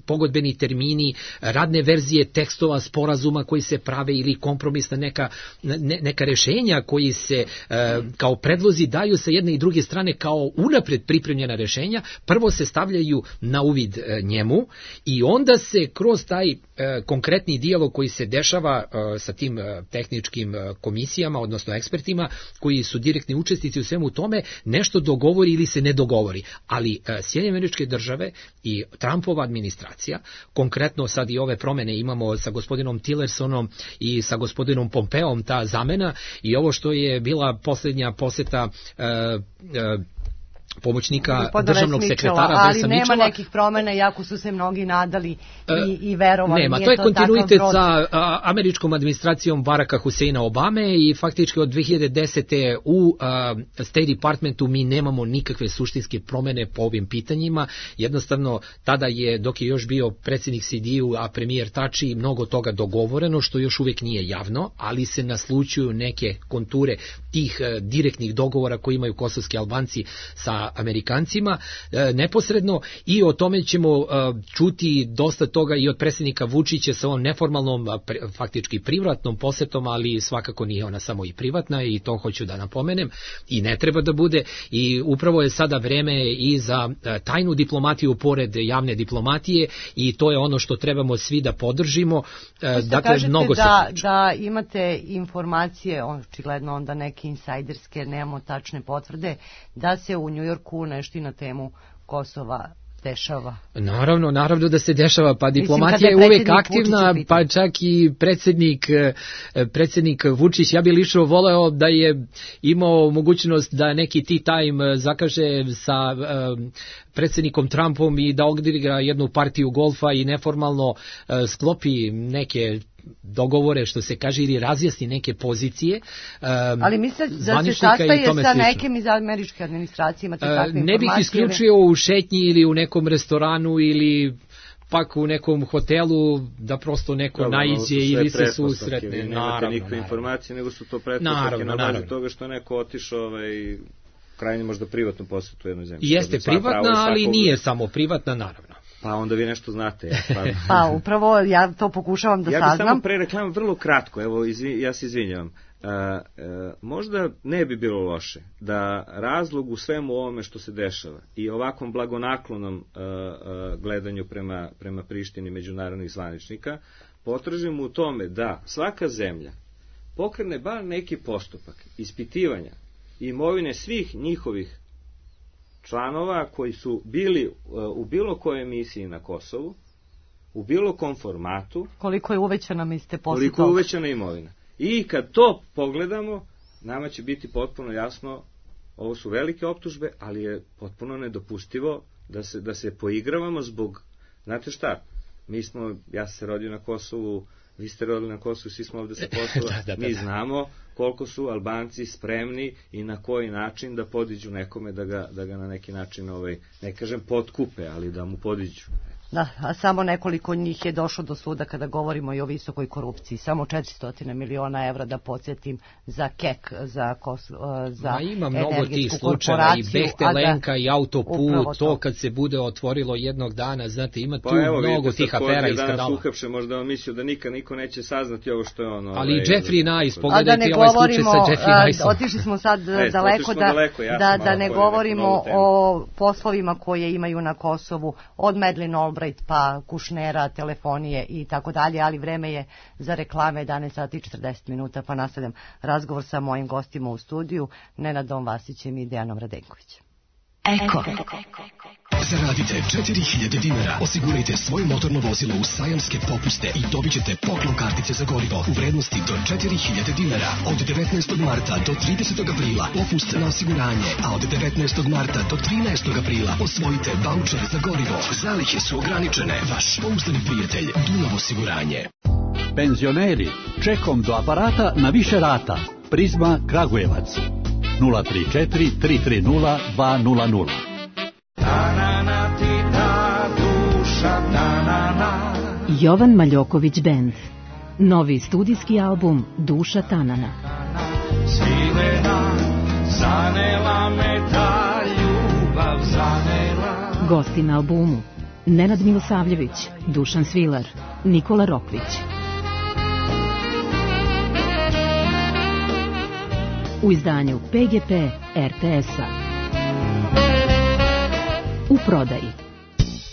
Speaker 4: pogodbeni termini, radne verzije tekstova sporazuma koji se prave ili kompromisna neka, ne, neka rešenja koji se e, kao predlozi daju sa jedne i druge strane kao unapred pripremljena rešenja, prvo se stavljaju na uvid e, njemu i onda se kroz taj e, konkretni dijalog koji se dešava e, sa tim e, tehničkim e, komisijama, odnosno ekspertima koji su direktni učesnici u svemu tome, nešto dogovori ili se ne dogovori. Ali e, Sjedinjene Američke Države i Trumpova administracija, konkretno sad i ove promene imamo sa gospodinom Tillersonom i sa gospodinom Pompeom, ta zamena i ovo što je bila posljednja poseta e, e, pomoćnika Gospoda državnog Mičela, sekretara
Speaker 2: ali
Speaker 4: Vesa
Speaker 2: nema
Speaker 4: Mičela.
Speaker 2: Nekih promjena, jako su se mnogi nadali i, i verovali.
Speaker 4: Nema, to je kontinuitet sa a, američkom administracijom Baracka Huseina Obame i faktički od dve hiljade desete u a, State Departmentu mi nemamo nikakve suštinske promjene po ovim pitanjima. Jednostavno, tada je, dok je još bio predsjednik C D U, a premijer Tači, mnogo toga dogovoreno, što još uvijek nije javno, ali se naslučuju neke konture tih a, direktnih dogovora koji imaju kosovski Albanci sa Amerikancima e, neposredno, i o tome ćemo e, čuti dosta toga i od predsjednika Vučića sa ovom neformalnom, pre, faktički privatnom posetom, ali svakako nije ona samo i privatna i to hoću da napomenem i ne treba da bude, i upravo je sada vreme i za e, tajnu diplomatiju pored javne diplomatije i to je ono što trebamo svi da podržimo. E, dakle, mnogo
Speaker 2: da, da imate informacije, očigledno onda neke insajderske, nemamo tačne potvrde, da se u New Yorku nešto i na temu Kosova dešava.
Speaker 4: Naravno, naravno da se dešava, pa diplomatija Mislim, je, je uvek aktivna, pa čak i predsjednik, predsjednik Vučić, ja bih lično voleo da je imao mogućnost da neki tea time zakaže sa um, predsjednikom Trumpom i da odigra jednu partiju golfa i neformalno uh, sklopi neke dogovore, što se kaže, ili razjasni neke pozicije. Um,
Speaker 2: Ali misle da se sastaje sa nekim iz američke administracije, imate takve informacije?
Speaker 4: Ne bih isključio u šetnji ili u nekom restoranu ili pak u nekom hotelu da prosto neko Dobro, naiđe ili se susretne.
Speaker 6: Vi nemate nikakve informacije, nego su to pretpostavke na bazi toga što neko otišao ovaj, krajnje možda privatnu posjetu u jednoj zemlji.
Speaker 4: Jeste privatna, ali svakog... nije samo privatna, naravno.
Speaker 6: Pa onda vi nešto znate. Ja, pa...
Speaker 2: pa upravo ja to pokušavam da
Speaker 6: ja
Speaker 2: saznam.
Speaker 6: Ja bih samo pre reklamam vrlo kratko, evo izvi, ja se izvinjavam. Uh, uh, možda ne bi bilo loše da razlog u svemu ovome što se dešava i ovakvom blagonaklonom uh, uh, gledanju prema, prema Prištini međunarodnih zvaničnika potražimo u tome da svaka zemlja pokrene bar neki postupak ispitivanja imovine svih njihovih članova koji su bili u bilo kojoj emisiji na Kosovu, u bilo kom formatu.
Speaker 2: Koliko je uvećana, mislite, posle
Speaker 6: Koliko je uvećana imovina. I kad to pogledamo, nama će biti potpuno jasno, ovo su velike optužbe, ali je potpuno nedopustivo da se, da se poigravamo zbog, znate šta, mi smo, ja sam se rodio na Kosovu, vi ste rodili na Kosovu, svi smo ovde sa Kosova, da, da, da, mi znamo koliko su Albanci spremni i na koji način da podiđu nekome, da ga, da ga na neki način, ovaj, ne kažem potkupe, ali da mu podiđu.
Speaker 2: Da, a samo nekoliko njih je došlo do suda kada govorimo i o visokoj korupciji. Samo četiristo miliona evra, da podsjetim, za kek, za, kos, za
Speaker 4: Ma ima mnogo tih slučaja, i Behtelenka, da, i autoput, to kad se bude otvorilo jednog dana, znate, ima tu
Speaker 6: pa evo,
Speaker 4: mnogo tih afera i skandala.
Speaker 6: Danas uhapše, možda on mislio da nikad niko neće saznati ovo što je ono.
Speaker 4: Ali
Speaker 6: ovaj,
Speaker 4: Jeffrey Nice, pogledajte da ovaj slučaj sa Jeffrey Niceom.
Speaker 2: Otišli smo sad daleko, da, daleko, ja da, da ne govorimo o poslovima koje imaju na Kosovu, od Madeleine Albright pa Kušnera, telefonije i tako dalje, ali vreme je za reklame, jedanaest sati i četrdeset minuta, pa nastavljam razgovor sa mojim gostima u studiju, Nenadom Vasićem i Dejanom Radenkovićem.
Speaker 7: Eko. Zaradite četiri hiljade dinara, osigurajte svoje motorno vozilo u sajamske popuste i dobit ćete poklon kartice za gorivo u vrednosti do četiri hiljade dinara. Od devetnaestog marta do tridesetog aprila popust na osiguranje, a od devetnaestog marta do trinaestog aprila osvojite vaučer za gorivo. Zalihe su ograničene. Vaš pouzdani prijatelj Dunav osiguranje.
Speaker 8: Penzioneri, čekom do aparata na više rata. Prizma Kragujevac. nula tri četiri tri tri nula dva nula nula.
Speaker 9: Jovan Maljoković Band. Novi studijski album Duša Tanana. Gosti na albumu: Nenad Milosavljević, Dušan Svilar, Nikola Rokvić. U izdanju P G P R T S-a. U prodaji: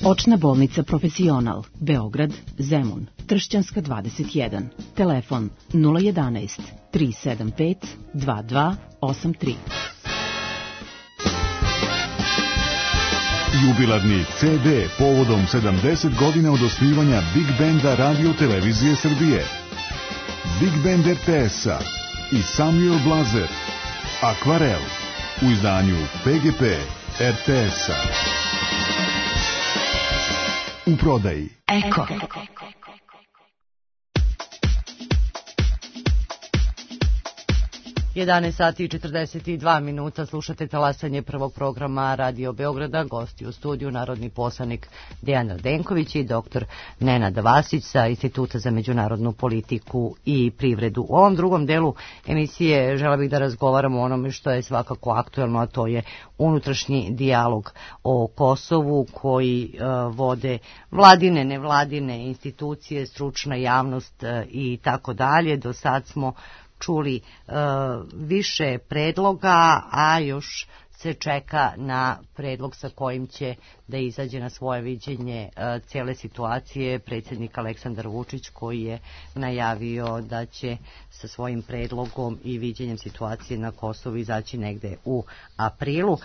Speaker 9: Očna bolnica Profesional, Beograd, Zemun, Tršćanska dvadeset jedan. Telefon nula jedanaest tri sedam pet dva dva osam tri.
Speaker 10: Jubilarni C D povodom sedamdeset godina od osnivanja Big Banda Radio Televizije Srbije. Big Band R T S-a i Samuel Blazer. Akvarel u izdanju P G P R T S-a. U prodaji.
Speaker 7: Eko.
Speaker 2: jedanaest sati i četrdeset dva minuta, slušate talasanje prvog programa Radio Beograda, gosti u studiju narodni poslanik Dejan Radenković i doktor Nenad Vasić sa Instituta za međunarodnu politiku i privredu. U ovom drugom delu emisije žela bih da razgovaramo o onome što je svakako aktuelno, a to je unutrašnji dijalog o Kosovu koji uh, vode vladine, nevladine institucije, stručna javnost uh, i tako dalje. Do sad smo čuli uh, više predloga, a još se čeka na predlog sa kojim će da izađe na svoje viđenje uh, cijele situacije predsjednik Aleksandar Vučić, koji je najavio da će sa svojim predlogom i viđenjem situacije na Kosovu izaći negde u aprilu. Uh,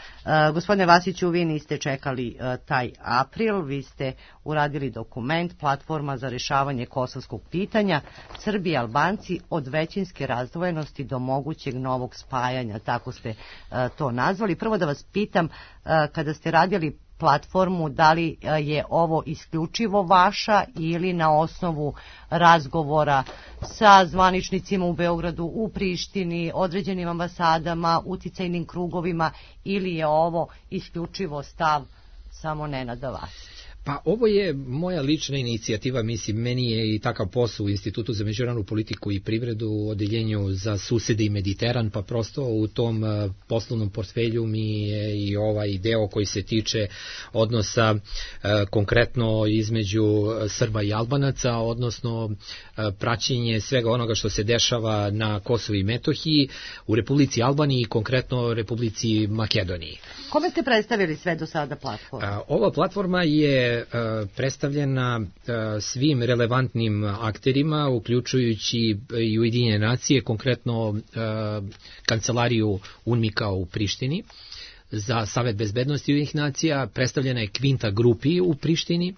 Speaker 2: gospodine Vasiću, vi niste čekali uh, taj april, vi ste uradili dokument Platforma za rešavanje kosovskog pitanja, Srbi i Albanci od većinske razdvojenosti do mogućeg novog spajanja, tako ste uh, to nazvali. Prvo da vas pitam, uh, kada ste radili platformu, da li je ovo isključivo vaša ili na osnovu razgovora sa zvaničnicima u Beogradu, u Prištini, određenim ambasadama, uticajnim krugovima, ili je ovo isključivo stav samo Nenada Vasića?
Speaker 4: Pa ovo je moja lična inicijativa, mislim, meni je i takav posao u Institutu za međunarodnu politiku i privredu u odeljenju za susede i Mediteran, pa prosto u tom poslovnom portfelju mi je i ovaj deo koji se tiče odnosa konkretno između Srba i Albanaca, odnosno praćenje svega onoga što se dešava na Kosovu i Metohiji, u Republici Albaniji i konkretno Republici Makedoniji.
Speaker 2: Kome ste predstavili sve do sada platforma?
Speaker 4: Ova platforma je predstavljena svim relevantnim akterima, uključujući i Ujedinjene nacije, konkretno kancelariju UNMIK-a u Prištini za Savet bezbednosti Ujedinjenih nacija, predstavljena je Kvinta Grupi u Prištini,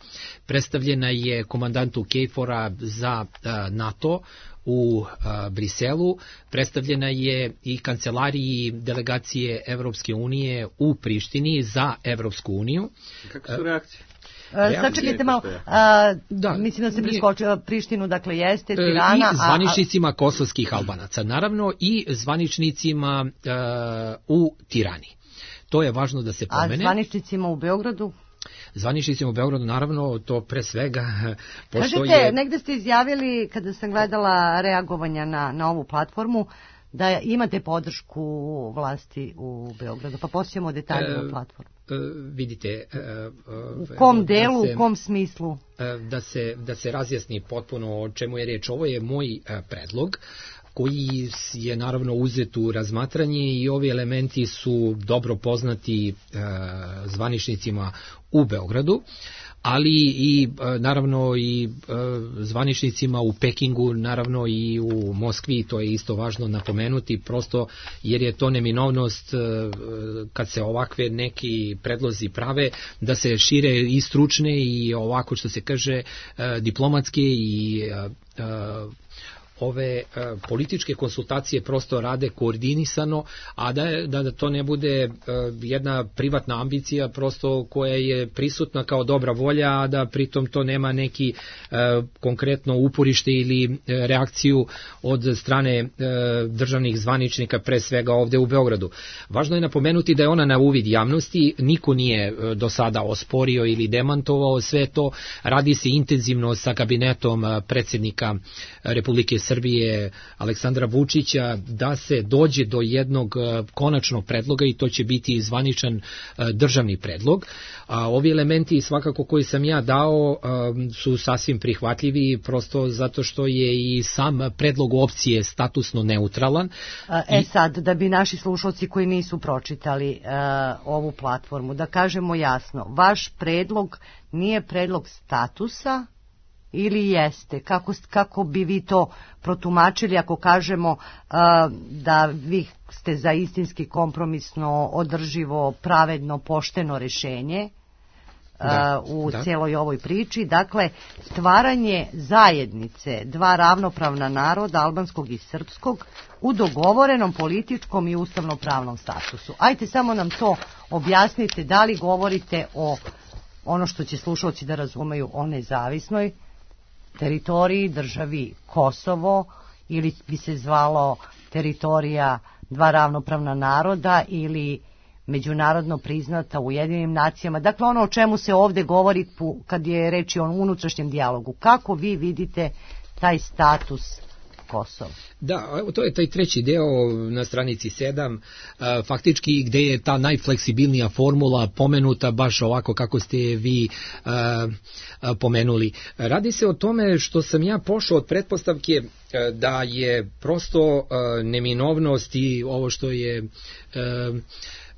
Speaker 4: predstavljena je komandantu KFOR-a za NATO u a, Briselu, predstavljena je i kancelariji delegacije Evropske unije u Prištini za Evropsku uniju.
Speaker 6: Kako su reakcije?
Speaker 2: Sačekajte malo, a, da, mislim da se preskočila Prištinu, dakle jeste Tirana.
Speaker 4: I zvaničnicima kosovskih Albanaca, naravno, i zvaničnicima a, u Tirani. To je važno da se pomene.
Speaker 2: A zvaničnicima u Beogradu?
Speaker 4: Zvaničnicima u Beogradu, naravno, to pre svega postoje...
Speaker 2: Kažete, negde ste izjavili, kada sam gledala reagovanja na, na ovu platformu, da imate podršku vlasti u Beogradu, pa posjećamo detalje o platformu.
Speaker 4: E, vidite... E,
Speaker 2: u kom delu,
Speaker 4: da se,
Speaker 2: u kom smislu?
Speaker 4: Da se, da se razjasni potpuno o čemu je reč. Ovo je moj predlog, koji je naravno uzet u razmatranje i ovi elementi su dobro poznati e, zvaničnicima u Beogradu, ali i naravno i zvaničnicima u Pekingu, naravno i u Moskvi, to je isto važno napomenuti, prosto jer je to neminovnost kad se ovakve neki predlozi prave, da se šire i stručne i ovako što se kaže diplomatske i ove uh, političke konsultacije prosto rade koordinisano, a da, da, da to ne bude uh, jedna privatna ambicija prosto koja je prisutna kao dobra volja, a da pritom to nema neki uh, konkretno uporište ili uh, reakciju od strane uh, državnih zvaničnika, pre svega ovde u Beogradu. Važno je napomenuti da je ona na uvid javnosti, niko nije uh, do sada osporio ili demantovao sve to, radi se intenzivno sa kabinetom uh, predsjednika Republike Srbije Aleksandra Vučića da se dođe do jednog konačnog predloga i to će biti zvaničan državni predlog. A ovi elementi svakako koji sam ja dao su sasvim prihvatljivi prosto zato što je i sam predlog opcije statusno neutralan.
Speaker 2: E sad, da bi naši slušalci koji nisu pročitali uh, ovu platformu, da kažemo jasno, vaš predlog nije predlog statusa ili jeste? Kako, kako bi vi to protumačili ako kažemo uh, da vi ste za istinski kompromisno, održivo, pravedno, pošteno rešenje uh, da, u da. cijeloj ovoj priči? Dakle, stvaranje zajednice dva ravnopravna naroda, albanskog i srpskog, u dogovorenom političkom i ustavno-pravnom statusu. Ajte samo nam to objasnite, da li govorite o ono što će slušalci da razumeju o nezavisnoj teritoriji, državi Kosovo, ili bi se zvalo teritorija dva ravnopravna naroda ili međunarodno priznata u Ujedinjenim nacijama. Dakle, ono o čemu se ovde govori kad je reč o unutrašnjem dijalogu. Kako vi vidite taj status Kosova?
Speaker 4: Da, to je taj treći deo na stranici sedam, faktički gde je ta najfleksibilnija formula pomenuta baš ovako kako ste vi pomenuli. Radi se o tome što sam ja pošao od pretpostavke da je prosto neminovnost i ovo što je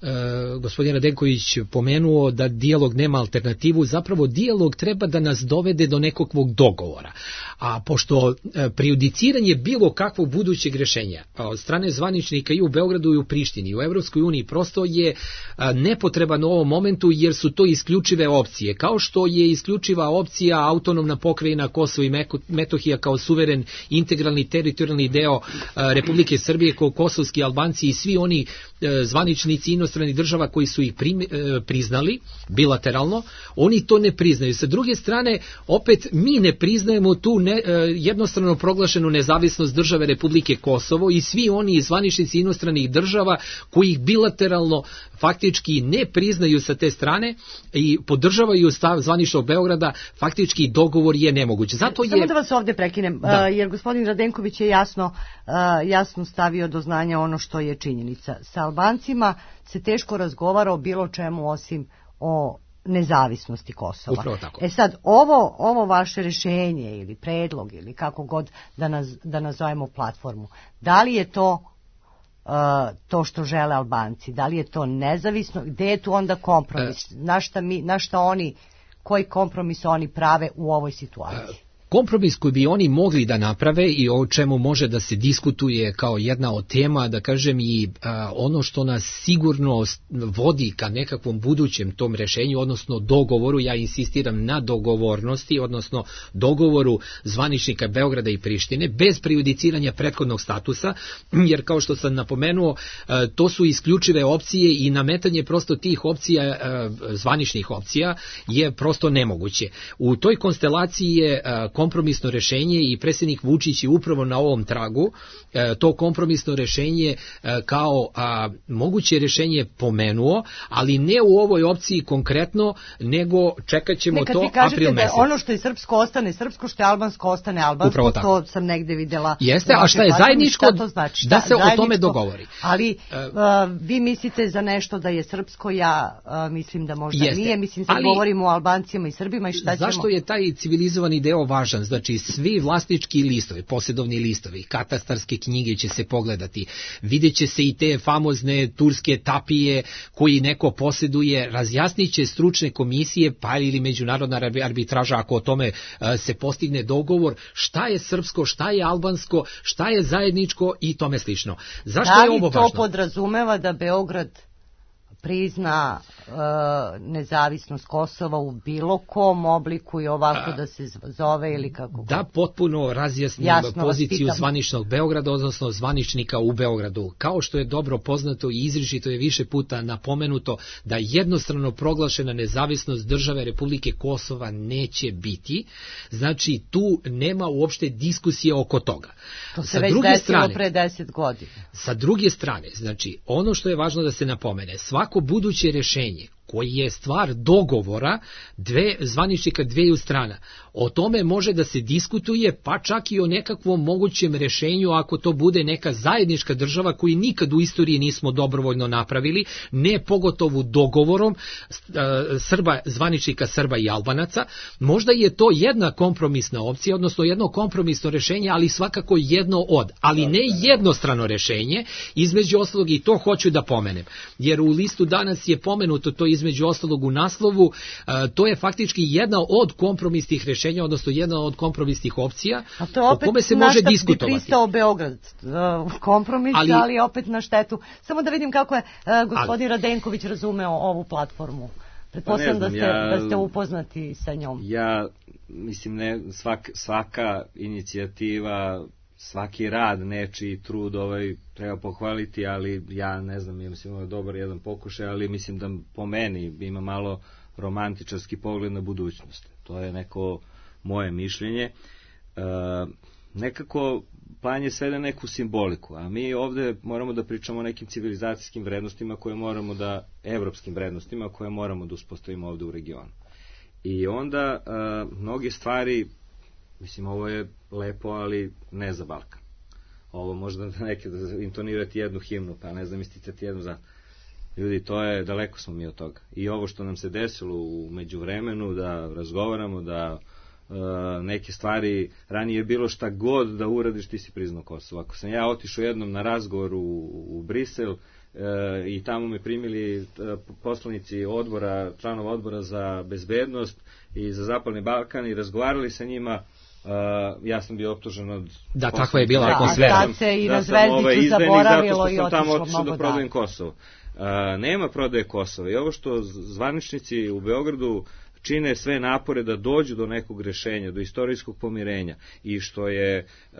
Speaker 4: Uh, gospodin Radenković pomenuo da dijalog nema alternativu, zapravo dijalog treba da nas dovede do nekakvog dogovora. A pošto uh, prejudiciranje bilo kakvog budućeg rešenja od strane zvaničnika i u Beogradu i u Prištini i u Evropskoj uniji prosto je uh, nepotreban u ovom momentu jer su to isključive opcije. Kao što je isključiva opcija autonomna pokrajina Kosovo i Metohija kao suveren integralni teritorijalni deo uh, Republike Srbije, kao kosovski Albanci i svi oni uh, zvaničnici inostrani država koji su ih prim, e, priznali bilateralno, oni to ne priznaju. Sa druge strane, opet mi ne priznajemo tu ne, e, jednostrano proglašenu nezavisnost države Republike Kosovo i svi oni zvaničnici inostranih država koji ih bilateralno faktički ne priznaju sa te strane i podržavaju stav zvaničnog Beograda, faktički dogovor je nemoguć. Zato je...
Speaker 2: Samo da vas ovde prekinem, da. jer gospodin Radenković je jasno, jasno stavio do znanja ono što je činjenica. Sa Albancima se teško razgovara o bilo čemu osim o nezavisnosti Kosova.
Speaker 4: Upravo tako.
Speaker 2: E sad, ovo, ovo vaše rešenje ili predlog ili kako god da, naz, da nazovemo platformu, da li je to uh, to što žele Albanci, da li je to nezavisno, gde je tu onda kompromis, e... na, šta mi, na šta oni, koji kompromis oni prave u ovoj situaciji?
Speaker 4: kompromis koji bi oni mogli da naprave i o čemu može da se diskutuje kao jedna od tema, da kažem i a, ono što nas sigurno vodi ka nekakvom budućem tom rešenju, odnosno dogovoru, ja insistiram na dogovornosti, odnosno dogovoru zvaničnika Beograda i Prištine, bez prejudiciranja prethodnog statusa, jer kao što sam napomenuo, a, to su isključive opcije i nametanje prosto tih opcija, a, zvaničnih opcija, je prosto nemoguće. U toj konstelaciji je a, kompromisno rešenje i predsjednik Vučić je upravo na ovom tragu a, to kompromisno rešenje a, kao a, moguće rešenje pomenuo, ali ne u ovoj opciji konkretno, nego čekat ćemo
Speaker 2: Nekad
Speaker 4: to april mesec.
Speaker 2: Ono što je srpsko ostane srpsko, što je albansko ostane albansko, to sam negde videla.
Speaker 4: Jeste, a šta je zajedničko, šta znači? Da se o tome dogovori.
Speaker 2: Ali uh, vi mislite za nešto da je srpsko, ja uh, mislim da možda jeste. Nije, mislim sad ali, govorimo o Albancima i Srbima i šta ćemo.
Speaker 4: Zašto je taj civilizovani deo važan? Znači svi vlasnički listovi, posjedovni listovi, katastarske knjige će se pogledati, vidjet će se i te famozne turske tapije koji neko posjeduje, razjasnit će stručne komisije pa ili međunarodna arbitraža ako o tome uh, se postigne dogovor šta je srpsko, šta je albansko, šta je zajedničko i tome slično. Zašto
Speaker 2: da
Speaker 4: je ovo važno?
Speaker 2: Da li to podrazumeva da Beograd prizna e, nezavisnost Kosova u bilo kom obliku i ovako A, da se zove ili kako?
Speaker 4: Da potpuno razjasnim Jasno, poziciju zvaničnog Beograda, odnosno zvaničnika u Beogradu. Kao što je dobro poznato i izričito je više puta napomenuto da jednostrano proglašena nezavisnost države Republike Kosova neće biti, znači tu nema uopšte diskusije oko toga.
Speaker 2: To se sa već desilo strane, pre deset godina.
Speaker 4: Sa druge strane, znači ono što je važno da se napomene, svako buduće rešenje koji je stvar dogovora dve zvaničnika dveju strana. O tome može da se diskutuje, pa čak i o nekakvom mogućem rešenju ako to bude neka zajednička država koju nikad u istoriji nismo dobrovoljno napravili, ne pogotovo dogovorom Srba, zvaničnika Srba i Albanaca. Možda je to jedna kompromisna opcija, odnosno jedno kompromisno rešenje, ali svakako jedno od, ali ne jednostrano rešenje, između ostalog i to hoću da pomenem, jer u listu danas je pomenuto to između ostalog u naslovu, to je faktički jedna od kompromisnih rešenja, odnosno jedna od kompromisnih opcija o kome se može diskutovati.
Speaker 2: Bi pristao Beograd kompromis, ali, ali opet na štetu. Samo da vidim kako je gospodin ali, Radenković razumeo ovu platformu. Pretpostavljam da, ja, da ste upoznati sa njom.
Speaker 6: Ja mislim, ne, svak, svaka inicijativa, svaki rad, nečiji trud ovaj treba pohvaliti, ali ja ne znam, ja mislim ovo je dobar jedan pokušaj, ali mislim da po meni ima malo romantičarski pogled na budućnost. To je neko moje mišljenje. E, nekako plan je sve na neku simboliku, a mi ovde moramo da pričamo o nekim civilizacijskim vrednostima koje moramo da, evropskim vrednostima koje moramo da uspostavimo ovde u regionu. I onda e, mnoge stvari, mislim, ovo je lepo, ali ne za Balkan. Ovo možda neke da intonirati jednu himnu, pa ne znam, isticati jednu za... Ljudi, to je, daleko smo mi od toga. I ovo što nam se desilo u međuvremenu, da razgovaramo, da e, neke stvari, ranije je bilo šta god da uradiš, ti si priznao Kosovo. Ako sam ja otišao jednom na razgovor u, u Brisel, E, i tamo me primili e, poslanici odbora, članova odbora za bezbednost i za Zapadni Balkan i razgovarali sa njima, e, ja sam bio optužen od...
Speaker 4: Da, takva je bila atmosfera.
Speaker 2: Da, tad se i na Zvezdiću zaboravilo i otišlo mnogo dalje. Zato što sam tamo otišao da prodajem Kosovo.
Speaker 6: E, nema prodaje Kosova i ovo što zvaničnici u Beogradu čine sve napore da dođu do nekog rešenja, do istorijskog pomirenja i što je uh,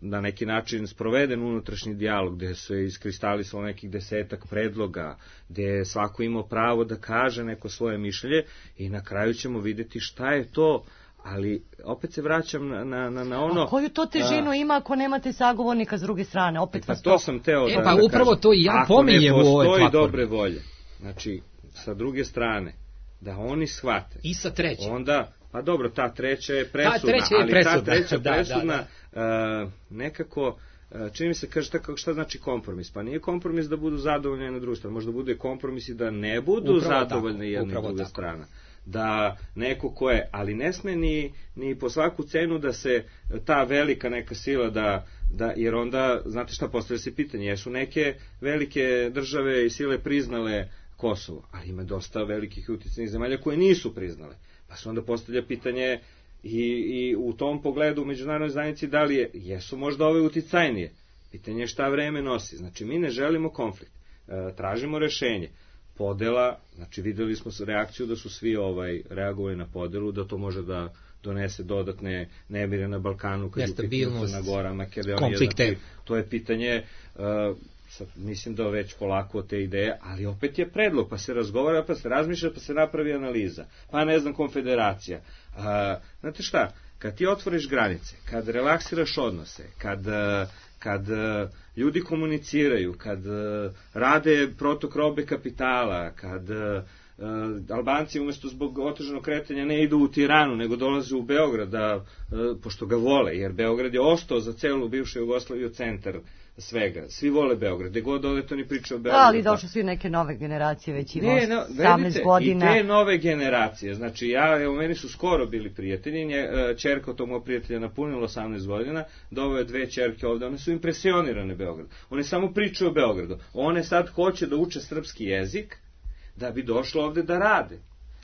Speaker 6: na neki način sproveden unutrašnji dijalog gde se iskristalisalo nekih desetak predloga, gde je svako imao pravo da kaže neko svoje mišljenje i na kraju ćemo videti šta je to, ali opet se vraćam na, na, na ono...
Speaker 2: A koju to težinu a, ima ako nemate sagovornika s druge strane? Opet
Speaker 6: pa to sam teo
Speaker 4: e,
Speaker 6: da,
Speaker 4: pa
Speaker 6: da
Speaker 4: upravo
Speaker 6: kažem.
Speaker 4: To i ja pominjem u ovoj platformi.
Speaker 6: Ako ne postoji dobre volje, znači sa druge strane, da oni shvate.
Speaker 4: I sa treće.
Speaker 6: Onda, pa dobro, ta treća je presudna,
Speaker 4: ta treća je
Speaker 6: ali
Speaker 4: presudna.
Speaker 6: ta treća
Speaker 4: da,
Speaker 6: presudna
Speaker 4: da, da.
Speaker 6: Uh, nekako, uh, čini mi se, kaže, šta, šta znači kompromis? Pa nije kompromis da budu zadovoljni jedna druga strana, možda bude kompromis i da ne budu upravo zadovoljni jedna i druga tako. strana. Da neko ko je, ali ne sme ni, ni po svaku cenu da se ta velika neka sila da, da jer onda, znate šta, postavlja se pitanje, jesu neke velike države i sile priznale Kosovo, ali ima dosta velikih uticajnih zemalja koje nisu priznale. Pa se onda postavlja pitanje, I, i u tom pogledu u međunarodnoj zajednici da li je, jesu možda ove uticajnije. Pitanje je šta vreme nosi. Znači, mi ne želimo konflikt. E, tražimo rešenje. Podela, znači videli smo reakciju da su svi ovaj reagovali na podelu, da to može da donese dodatne nemire na Balkanu, kad je pitanje na Gora, Makedonija, znači, to je pitanje, uh, sad, mislim da već polako te ideje, ali opet je predlog, pa se razgovara, pa se razmišlja, pa se napravi analiza, pa ne znam, konfederacija. Uh, znate šta, kad ti otvoriš granice, kad relaksiraš odnose, kad... Uh, kad uh, ljudi komuniciraju, kad uh, rade protok robe kapitala, kad uh, uh, Albanci umjesto zbog otežanog kretanja ne idu u Tiranu, nego dolaze u Beograd, da, uh, pošto ga vole, jer Beograd je ostao za celu bivšu Jugoslaviju centar svega. Svi vole Beograd, gde god ode to ni priča o Beogradu.
Speaker 2: Ali došle svi neke nove generacije, već ima osamnaest godina.
Speaker 6: I te nove generacije, znači ja, evo, meni su skoro bili prijatelji, ćerka tog mojeg prijatelja napunila osamnaest godina, doveo je dve ćerke ovde, one su impresionirane Beogradu. One samo pričaju o Beogradu. One sad hoće da uče srpski jezik, da bi došlo ovde da rade.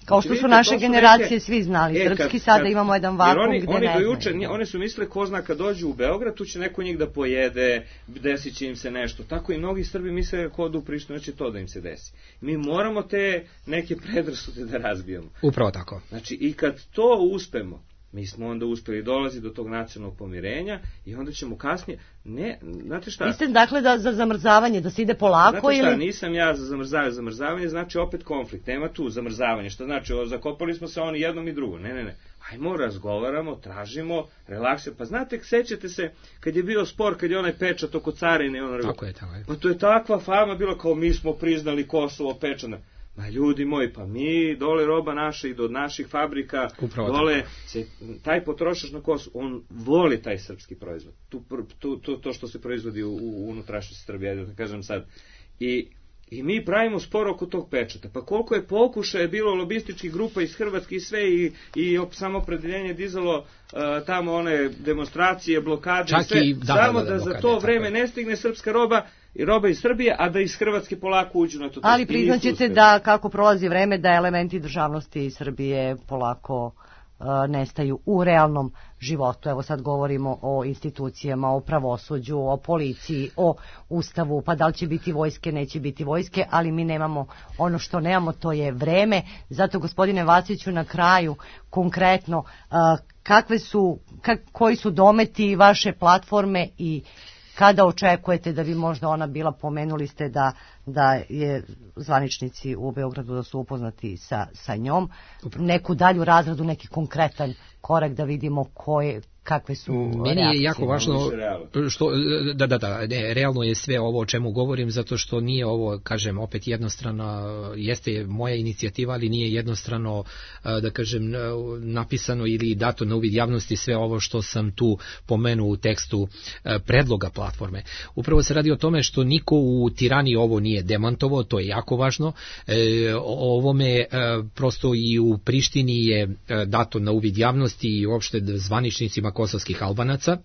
Speaker 2: Kao što su naše generacije svi znali e, srpski, kad, sada kad, imamo jedan vakum oni, gde
Speaker 6: oni
Speaker 2: ne
Speaker 6: dojuče, znaju. Oni su mislili ko zna kad dođu u Beograd, tu će neko njih da pojede, desit će im se nešto. Tako i mnogi Srbi misle ko odu u Prištinu, će to da im se desi. Mi moramo te neke predrasude da razbijamo.
Speaker 4: Upravo tako.
Speaker 6: Znači, i kad to uspemo, mi smo onda uspeli dolazi do tog nacionalnog pomirenja i onda ćemo kasnije, ne, znate šta?
Speaker 2: Vi ste dakle da, za zamrzavanje, da se ide polako
Speaker 6: znate šta,
Speaker 2: ili...
Speaker 6: nisam ja za zamrzavanje, zamrzavanje znači opet konflikt, nema tu zamrzavanje, što znači, o, zakopali smo se oni jednom i drugom, ne, ne, ne, ajmo, razgovaramo, tražimo, relaksiramo, pa znate, sećate se, kad je bio spor, kad je onaj pečat oko carine, ono,
Speaker 4: tako je, tako je.
Speaker 6: Pa to je takva fama bilo kao mi smo priznali Kosovo pečana. Ma ljudi moji, pa mi dole roba naša i do naših fabrika, upravo dole se, taj potrošač na Kosovu, on voli taj srpski proizvod. Tu, tu, tu, to što se proizvodi u, u unutrašnjosti Srbije, da kažem sad. I, I mi pravimo spor oko tog pečata. Pa koliko je pokušaja bilo lobističkih grupa iz Hrvatske i sve i, i samopredeljenje dizalo uh, tamo one demonstracije, blokade
Speaker 4: čak
Speaker 6: i sve,
Speaker 4: i, da,
Speaker 6: samo
Speaker 4: da, da,
Speaker 6: da,
Speaker 4: da
Speaker 6: za to vreme ne stigne srpska roba i roba iz Srbije, a da iz Hrvatske polako uđu na to.
Speaker 2: Ali priznaćete da kako prolazi vreme da elementi državnosti Srbije polako uh, nestaju u realnom životu. Evo sad govorimo o institucijama, o pravosuđu, o policiji, o ustavu, pa da li će biti vojske, neće biti vojske, ali mi nemamo ono što nemamo, to je vreme. Zato, gospodine Vaciću, na kraju konkretno, uh, kakve su, kak, koji su dometi vaše platforme i kada očekujete da bi možda ona bila, pomenuli ste da, da je zvaničnici u Beogradu da su upoznati sa, sa njom, neku dalju razradu, neki konkretan korak da vidimo koje, kakve su
Speaker 4: meni
Speaker 2: reakcije.
Speaker 4: Je jako važno što, da, da, da, ne, realno je sve ovo o čemu govorim, zato što nije ovo, kažem, opet jednostrano, jeste moja inicijativa, ali nije jednostrano, da kažem, napisano ili dato na uvid javnosti sve ovo što sam tu pomenuo u tekstu predloga platforme. Upravo se radi o tome što niko u Tirani ovo nije demantovao, to je jako važno. O ovome prosto i u Prištini je dato na uvid javnosti i uopšte zvaničnicima kosovskih Albanaca.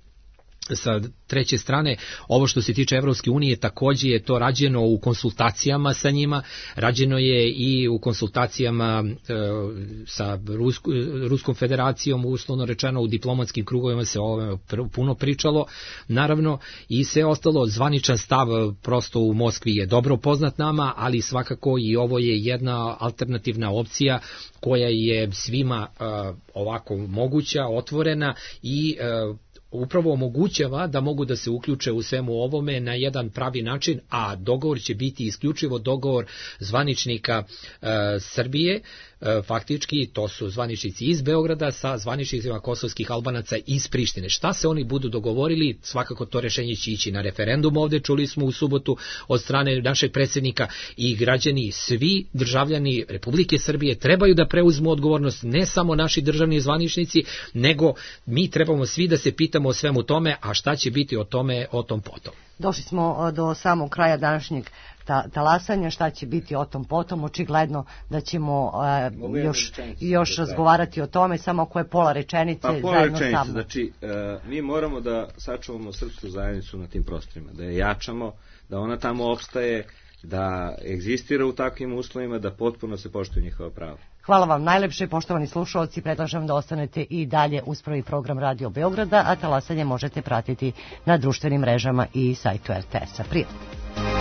Speaker 4: Sa treće strane, ovo što se tiče Evropske unije, takođe je to rađeno u konsultacijama sa njima, rađeno je i u konsultacijama e, sa Rusko, Ruskom federacijom, uslovno rečeno u diplomatskim krugovima se ovo puno pričalo, naravno, i sve ostalo, zvaničan stav prosto u Moskvi je dobro poznat nama, ali svakako i ovo je jedna alternativna opcija koja je svima e, ovako moguća, otvorena i e, upravo omogućava da mogu da se uključe u svemu ovome na jedan pravi način, a dogovor će biti isključivo dogovor zvaničnika e, Srbije, e, faktički to su zvaničnici iz Beograda sa zvaničnicima kosovskih Albanaca iz Prištine. Šta se oni budu dogovorili, svakako to rešenje će ići na referendum ovde, čuli smo u subotu od strane našeg predsjednika, i građani, svi državljani Republike Srbije trebaju da preuzmu odgovornost, ne samo naši državni zvaničnici, nego mi trebamo svi da se pitamo o svemu tome, a šta će biti o tome, o tom potom.
Speaker 2: Došli smo do samog kraja današnjeg ta, talasanja, šta će biti o tom potom, očigledno da ćemo uh, još, još razgovarati o tome, samo ako je pola rečenice.
Speaker 6: Pa pola rečenice, znači uh, mi moramo da sačuvamo srpsku zajednicu na tim prostorima, da je jačamo, da ona tamo opstaje, da egzistira u takvim uslovima, da potpuno se poštuju njihova prava.
Speaker 2: Hvala vam najlepše, poštovani slušalci, predlažem da ostanete i dalje uz prvi program Radio Beograda, a talasanje možete pratiti na društvenim mrežama i sajtu er te es-a. Prijatno.